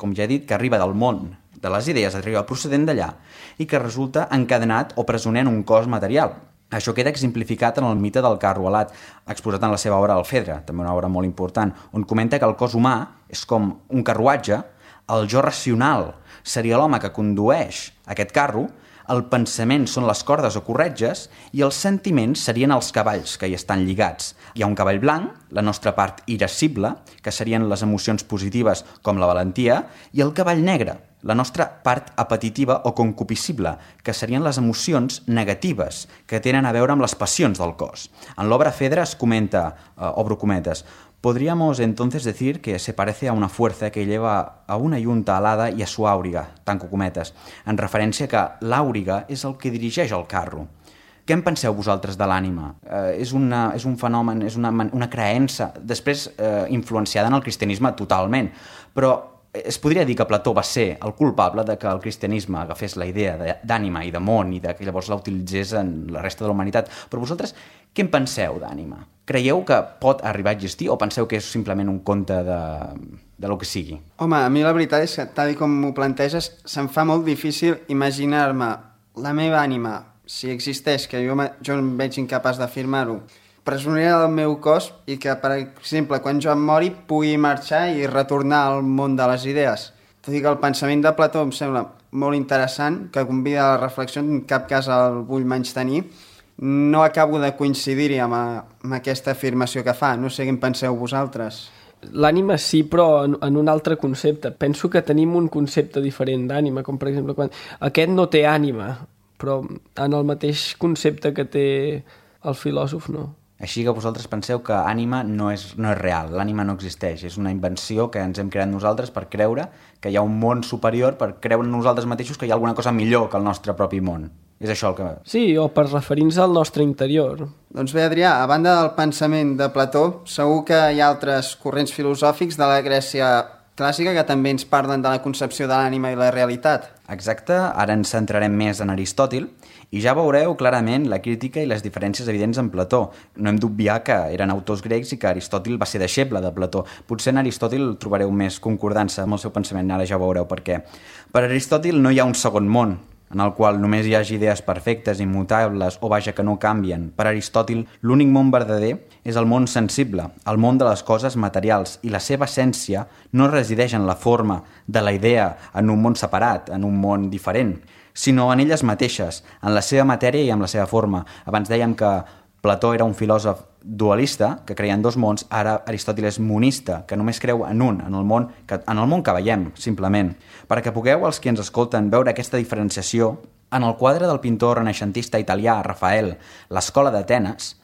com ja he dit, que arriba del món de les idees, arriba procedent d'allà, i que resulta encadenat o presoner en un cos material. Això queda exemplificat en el mite del carro alat, exposat en la seva obra El Fedre, també una obra molt important, on comenta que el cos humà és com un carruatge, el jo racional seria l'home que condueix aquest carro, el pensament són les cordes o corretges i els sentiments serien els cavalls que hi estan lligats. Hi ha un cavall blanc, la nostra part irascible, que serien les emocions positives com la valentia, i el cavall negre, la nostra part apetitiva o concupiscible, que serien les emocions negatives que tenen a veure amb les passions del cos. En l'obra Fedre es comenta, obro cometes, podríamos entonces decir que se parece a una fuerza que lleva a una yunta alada y a su àuriga, tanco cometes, en referència que l'àuriga és el que dirigeix el carro. Què en penseu vosaltres de l'ànima? És un fenomen, és una creença, després influenciada en el cristianisme totalment, però es podria dir que Plató va ser el culpable de que el cristianisme agafés la idea d'ànima i de món i que llavors la utilitzés en la resta de la humanitat. Però vosaltres, què en penseu d'ànima? Creieu que pot arribar a existir o penseu que és simplement un conte de lo que sigui?
Home, a mi la veritat és que, tal com m'ho planteges, se'm fa molt difícil imaginar-me la meva ànima, si existeix, que jo em veig incapaç d'afirmar-ho, presoner del meu cos i que, per exemple, quan jo em mori pugui marxar i retornar al món de les idees. Tot i que el pensament de Plató em sembla molt interessant, que convida a la reflexió, en cap cas el vull menystenir, no acabo de coincidir-hi amb aquesta afirmació que fa. No sé què en penseu vosaltres.
L'ànima sí, però en un altre concepte. Penso que tenim un concepte diferent d'ànima, com per exemple quan aquest no té ànima, però en el mateix concepte que té el filòsof, no.
Així que vosaltres penseu que ànima no és real, l'ànima no existeix, és una invenció que ens hem creat nosaltres per creure que hi ha un món superior, per creure nosaltres mateixos que hi ha alguna cosa millor que el nostre propi món. És això el que...
Sí, o per referir-nos al nostre interior.
Doncs bé, Adrià, a banda del pensament de Plató, segur que hi ha altres corrents filosòfics de la Grècia clàssica que també ens parlen de la concepció de l'ànima i la realitat.
Exacte, ara ens centrarem més en Aristòtil i ja veureu clarament la crítica i les diferències evidents en Plató. No hem d'obviar que eren autors grecs i que Aristòtil va ser deixeble de Plató. Potser en Aristòtil trobareu més concordança amb el seu pensament, ara ja veureu per què. Per Aristòtil no hi ha un segon món, en el qual només hi hagi idees perfectes, immutables o vaja que no canvien. Per Aristòtil, l'únic món verdader és el món sensible, el món de les coses materials, i la seva essència no resideix en la forma de la idea en un món separat, en un món diferent, sinó en elles mateixes, en la seva matèria i en la seva forma. Abans dèiem que Plató era un filòsof dualista, que creia en dos mons, ara Aristòtil és monista, que només creu en un, en el món que veiem, simplement. Perquè pugueu, els que ens escolten, veure aquesta diferenciació, en el quadre del pintor renaixentista italià Rafael, l'Escola d'Atenes,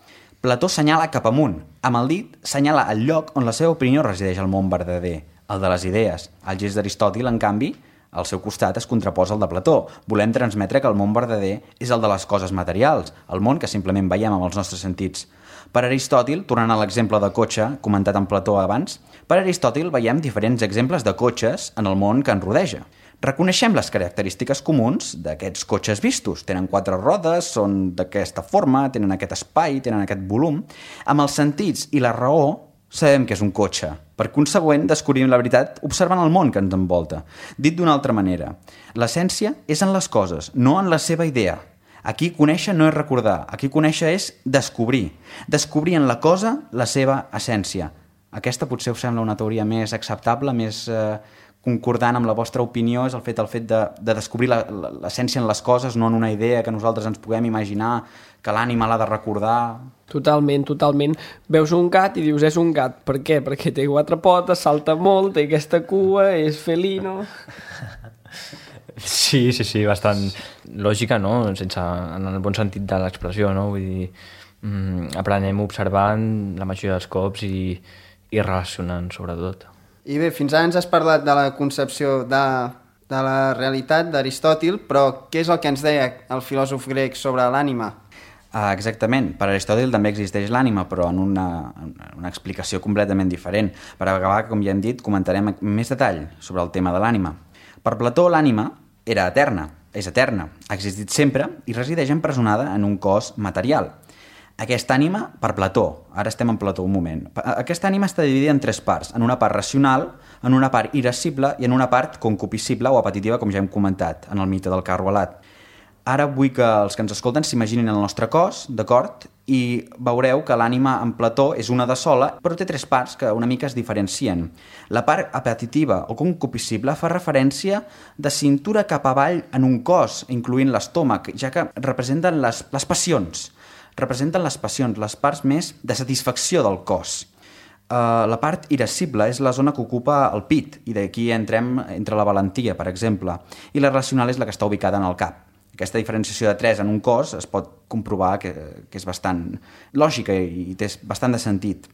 Plató senyala cap amunt. Amb el dit senyala el lloc on la seva opinió resideix al món verdader, el de les idees. El gest d'Aristòtil, en canvi, al seu costat es contraposa al de Plató. Volem transmetre que el món verdader és el de les coses materials, el món que simplement veiem amb els nostres sentits. Per Aristòtil, tornant a l'exemple de cotxe comentat en Plató abans, per Aristòtil veiem diferents exemples de cotxes en el món que ens rodeja. Reconeixem les característiques comuns d'aquests cotxes vistos. Tenen 4 rodes, són d'aquesta forma, tenen aquest espai, tenen aquest volum. Amb els sentits i la raó sabem que és un cotxe. Per consegüent, descobrim la veritat observant el món que ens envolta. Dit d'una altra manera, l'essència és en les coses, no en la seva idea. Aquí conèixer no és recordar, aquí conèixer és descobrir. Descobrir en la cosa la seva essència. Aquesta potser us sembla una teoria més acceptable, més concordant amb la vostra opinió, és el fet de descobrir l'essència en les coses, no en una idea que nosaltres ens puguem imaginar, que l'ànima l'ha de recordar.
Totalment, totalment. Veus un gat i dius és un gat. Per què? Perquè té 4 potes, salta molt, té aquesta cua, és felino...
Sí, bastant lògica, no? En el bon sentit de l'expressió, no? Vull dir, aprenem observant la majoria dels cops i relacionant, sobretot.
I bé, fins ara ens has parlat de la concepció de la realitat d'Aristòtil, però què és el que ens deia el filòsof grec sobre l'ànima?
Exactament. Per Aristòtil també existeix l'ànima, però en una explicació completament diferent. Per acabar, com ja hem dit, comentarem més detall sobre el tema de l'ànima. Per Plató, l'ànima era eterna, és eterna, ha existit sempre i resideix empresonada en un cos material. Aquesta ànima, per Plató, ara estem en Plató un moment, aquesta ànima està dividida en 3 parts, en una part racional, en una part irascible i en una part concupiscible o apetitiva, com ja hem comentat, en el mite del carro alat. Ara vull que els que ens escolten s'imaginin el nostre cos, d'acord? I veureu que l'ànima en Plató és una de sola, però té 3 parts que una mica es diferencien. La part apetitiva o concupiscible fa referència de cintura cap avall en un cos, incloent l'estómac, ja que representen les passions. Representen les passions, les parts més de satisfacció del cos. La part irascible és la zona que ocupa el pit, i d'aquí entre la valentia, per exemple, i la racional és la que està ubicada en el cap. Aquesta diferenciació de 3 en un cos es pot comprovar que és bastant lògica i té bastant de sentit.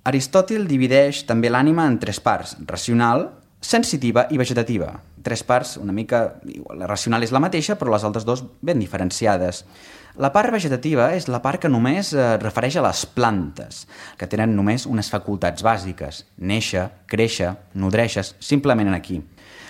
Aristòtil divideix també l'ànima en 3 parts, racional, sensitiva i vegetativa. 3 parts una mica... La racional és la mateixa, però les altres 2 ben diferenciades. La part vegetativa és la part que només refereix a les plantes, que tenen només unes facultats bàsiques: néixer, créixer, nodreixes, simplement aquí.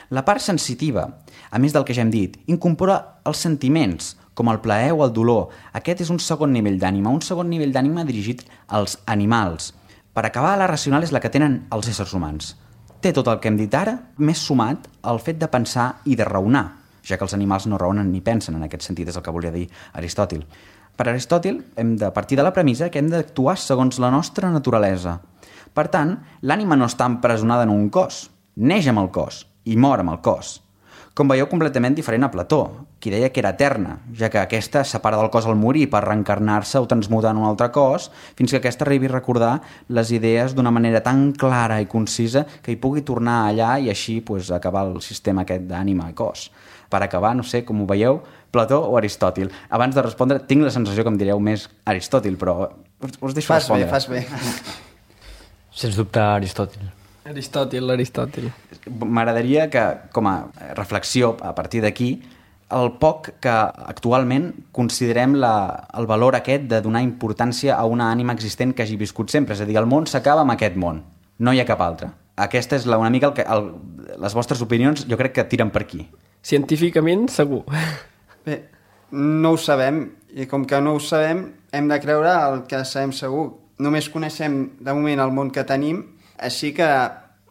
La part sensitiva, a més del que ja hem dit, incorpora els sentiments, com el plaer o el dolor. Aquest és un segon nivell d'ànima, dirigit als animals. Per acabar, la racional és la que tenen els éssers humans. Té tot el que hem dit ara, més sumat al fet de pensar i de raonar, ja que els animals no raonen ni pensen, en aquest sentit és el que volia dir Aristòtil. Per Aristòtil hem de partir de la premissa que hem d'actuar segons la nostra naturalesa. Per tant, l'ànima no està empresonada en un cos, neix amb el cos i mor amb el cos. com veieu, completament diferent a Plató, qui deia que era eterna, ja que aquesta es separa del cos al morir per reencarnar-se o transmutar en un altre cos, fins que aquesta arribi a recordar les idees d'una manera tan clara i concisa que hi pugui tornar allà i així acabar el sistema aquest d'ànima i cos. Per acabar, no sé, com ho veieu, Plató o Aristòtil? Abans de respondre, tinc la sensació que em direu més Aristòtil, però us deixo respondre.
Fas bé.
Sens dubte, Aristòtil.
Aristòtil.
M'agradaria que, com a reflexió a partir d'aquí, el poc que actualment considerem el valor aquest de donar importància a una ànima existent que hagi viscut sempre. És a dir, el món s'acaba amb aquest món, no hi ha cap altre. Aquesta és una mica les vostres opinions, jo crec que tiren per aquí.
Científicament, segur.
Bé, no ho sabem, i com que no ho sabem, hem de creure el que sabem segur. Només coneixem, de moment, el món que tenim, així que,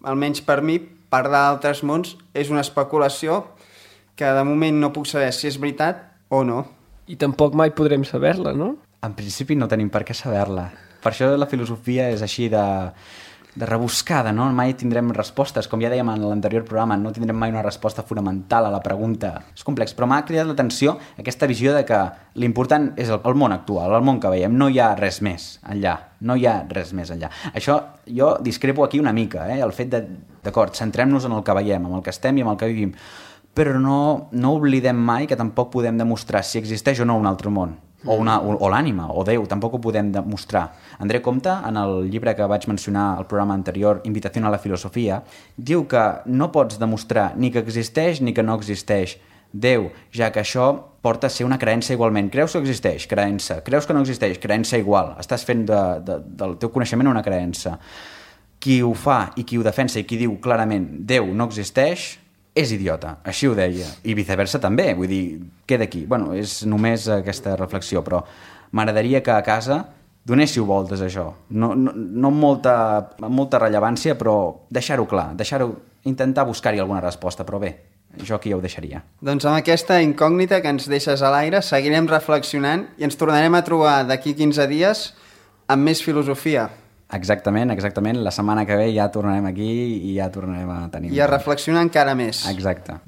almenys per mi, parlar d'altres mons és una especulació que de moment no puc saber si és veritat o no.
I tampoc mai podrem saber-la, no?
En principi no tenim per què saber-la. Per això la filosofia és així de rebuscada, no? Mai tindrem respostes. Com ja dèiem en l'anterior programa, no tindrem mai una resposta fonamental a la pregunta. És complex, però m'ha cridat l'atenció aquesta visió de que l'important és el món actual, el món que veiem. No hi ha res més enllà. No hi ha res més enllà. Això jo discrepo aquí una mica, el fet d'acord, centrem-nos en el que veiem, en el que estem i en el que vivim, però no oblidem mai que tampoc podem demostrar si existeix o no un altre món. O l'ànima, o Déu, tampoc ho podem demostrar. André Comte, en el llibre que vaig mencionar al programa anterior, Invitació a la filosofia, diu que no pots demostrar ni que existeix ni que no existeix Déu, ja que això porta a ser una creença igualment. Creus que existeix? Creença. Creus que no existeix? Creença igual. Estàs fent del teu coneixement una creença. Qui ho fa i qui ho defensa i qui diu clarament Déu no existeix és idiota, així ho deia, i viceversa també, vull dir, queda aquí. Bueno, és només aquesta reflexió, però m'agradaria que a casa donéssiu voltes a això, no amb molta rellevància, però deixar-ho clar, intentar buscar-hi alguna resposta, però bé, jo aquí ja ho deixaria.
Doncs amb aquesta incògnita que ens deixes a l'aire, seguirem reflexionant i ens tornarem a trobar d'aquí 15 dies amb més filosofia.
Exactament. La setmana que ve ja tornarem aquí i ja tornarem a tenir...
I a reflexionar encara més.
Exacte.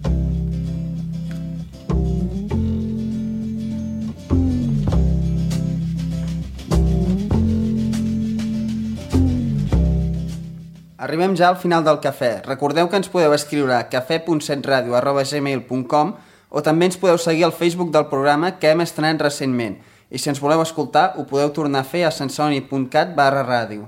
Arribem ja al final del cafè. Recordeu que ens podeu escriure a cafè.setradio@gmail.com o també ens podeu seguir al Facebook del programa que hem estrenat recentment. I si ens voleu escoltar, ho podeu tornar a fer a sensoni.cat/ràdio.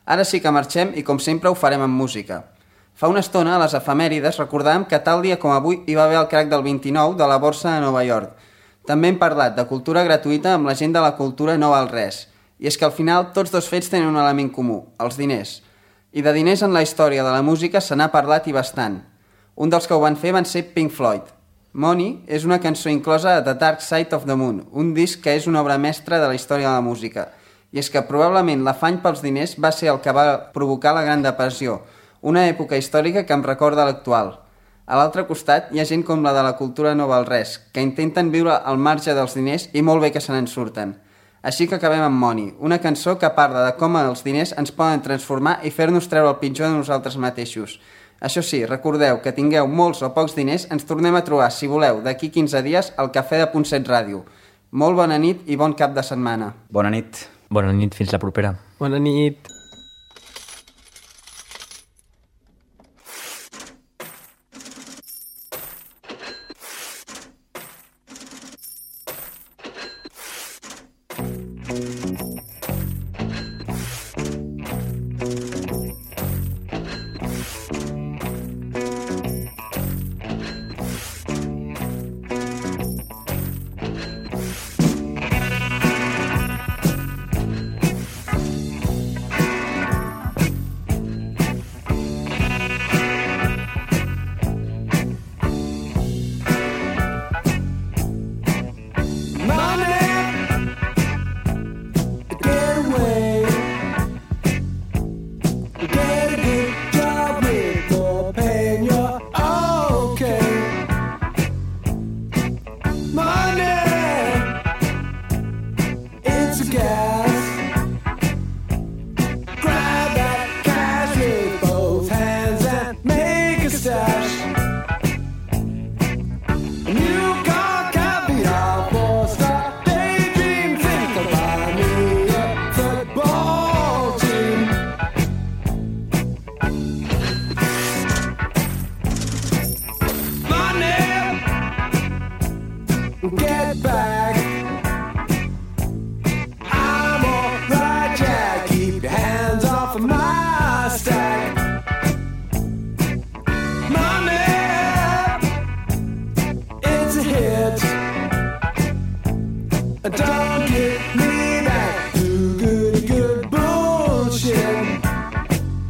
Ara sí que marxem i, com sempre, ho farem amb música. Fa una estona, a les efemèrides, recordàvem que tal dia com avui hi va haver el crac del 29 de la borsa de Nova York. També hem parlat de cultura gratuïta amb la gent de la cultura no val res. I és que al final tots dos fets tenen un element comú, els diners. I de diners en la història de la música se n'ha parlat i bastant. Un dels que ho van fer van ser Pink Floyd. Money és una cançó inclosa a The Dark Side of the Moon, un disc que és una obra mestra de la història de la música. I és que probablement l'afany pels diners va ser el que va provocar la Gran Depressió, una època històrica que em recorda l'actual. A l'altre costat hi ha gent com la de la cultura no val res, que intenten viure al marge dels diners i molt bé que se n'en surten. Així que acabem amb Money, una cançó que parla de com els diners ens poden transformar i fer-nos treure el pitjor de nosaltres mateixos. Això sí, recordeu que tingueu molts o pocs diners, ens tornem a trobar, si voleu, d'aquí 15 dies al Cafè de Punt7 Ràdio. Molt bona nit i bon cap de setmana.
Bona nit.
Bona nit, fins la propera.
Bona nit.
Don't give me that good bullshit.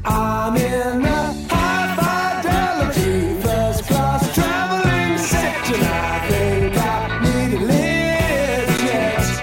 I'm in a high fidelity first class traveling section. I think I need a lift jet.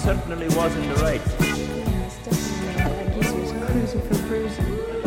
certainly was in the right.
Yes, definitely. I guess he was cruising for bruising.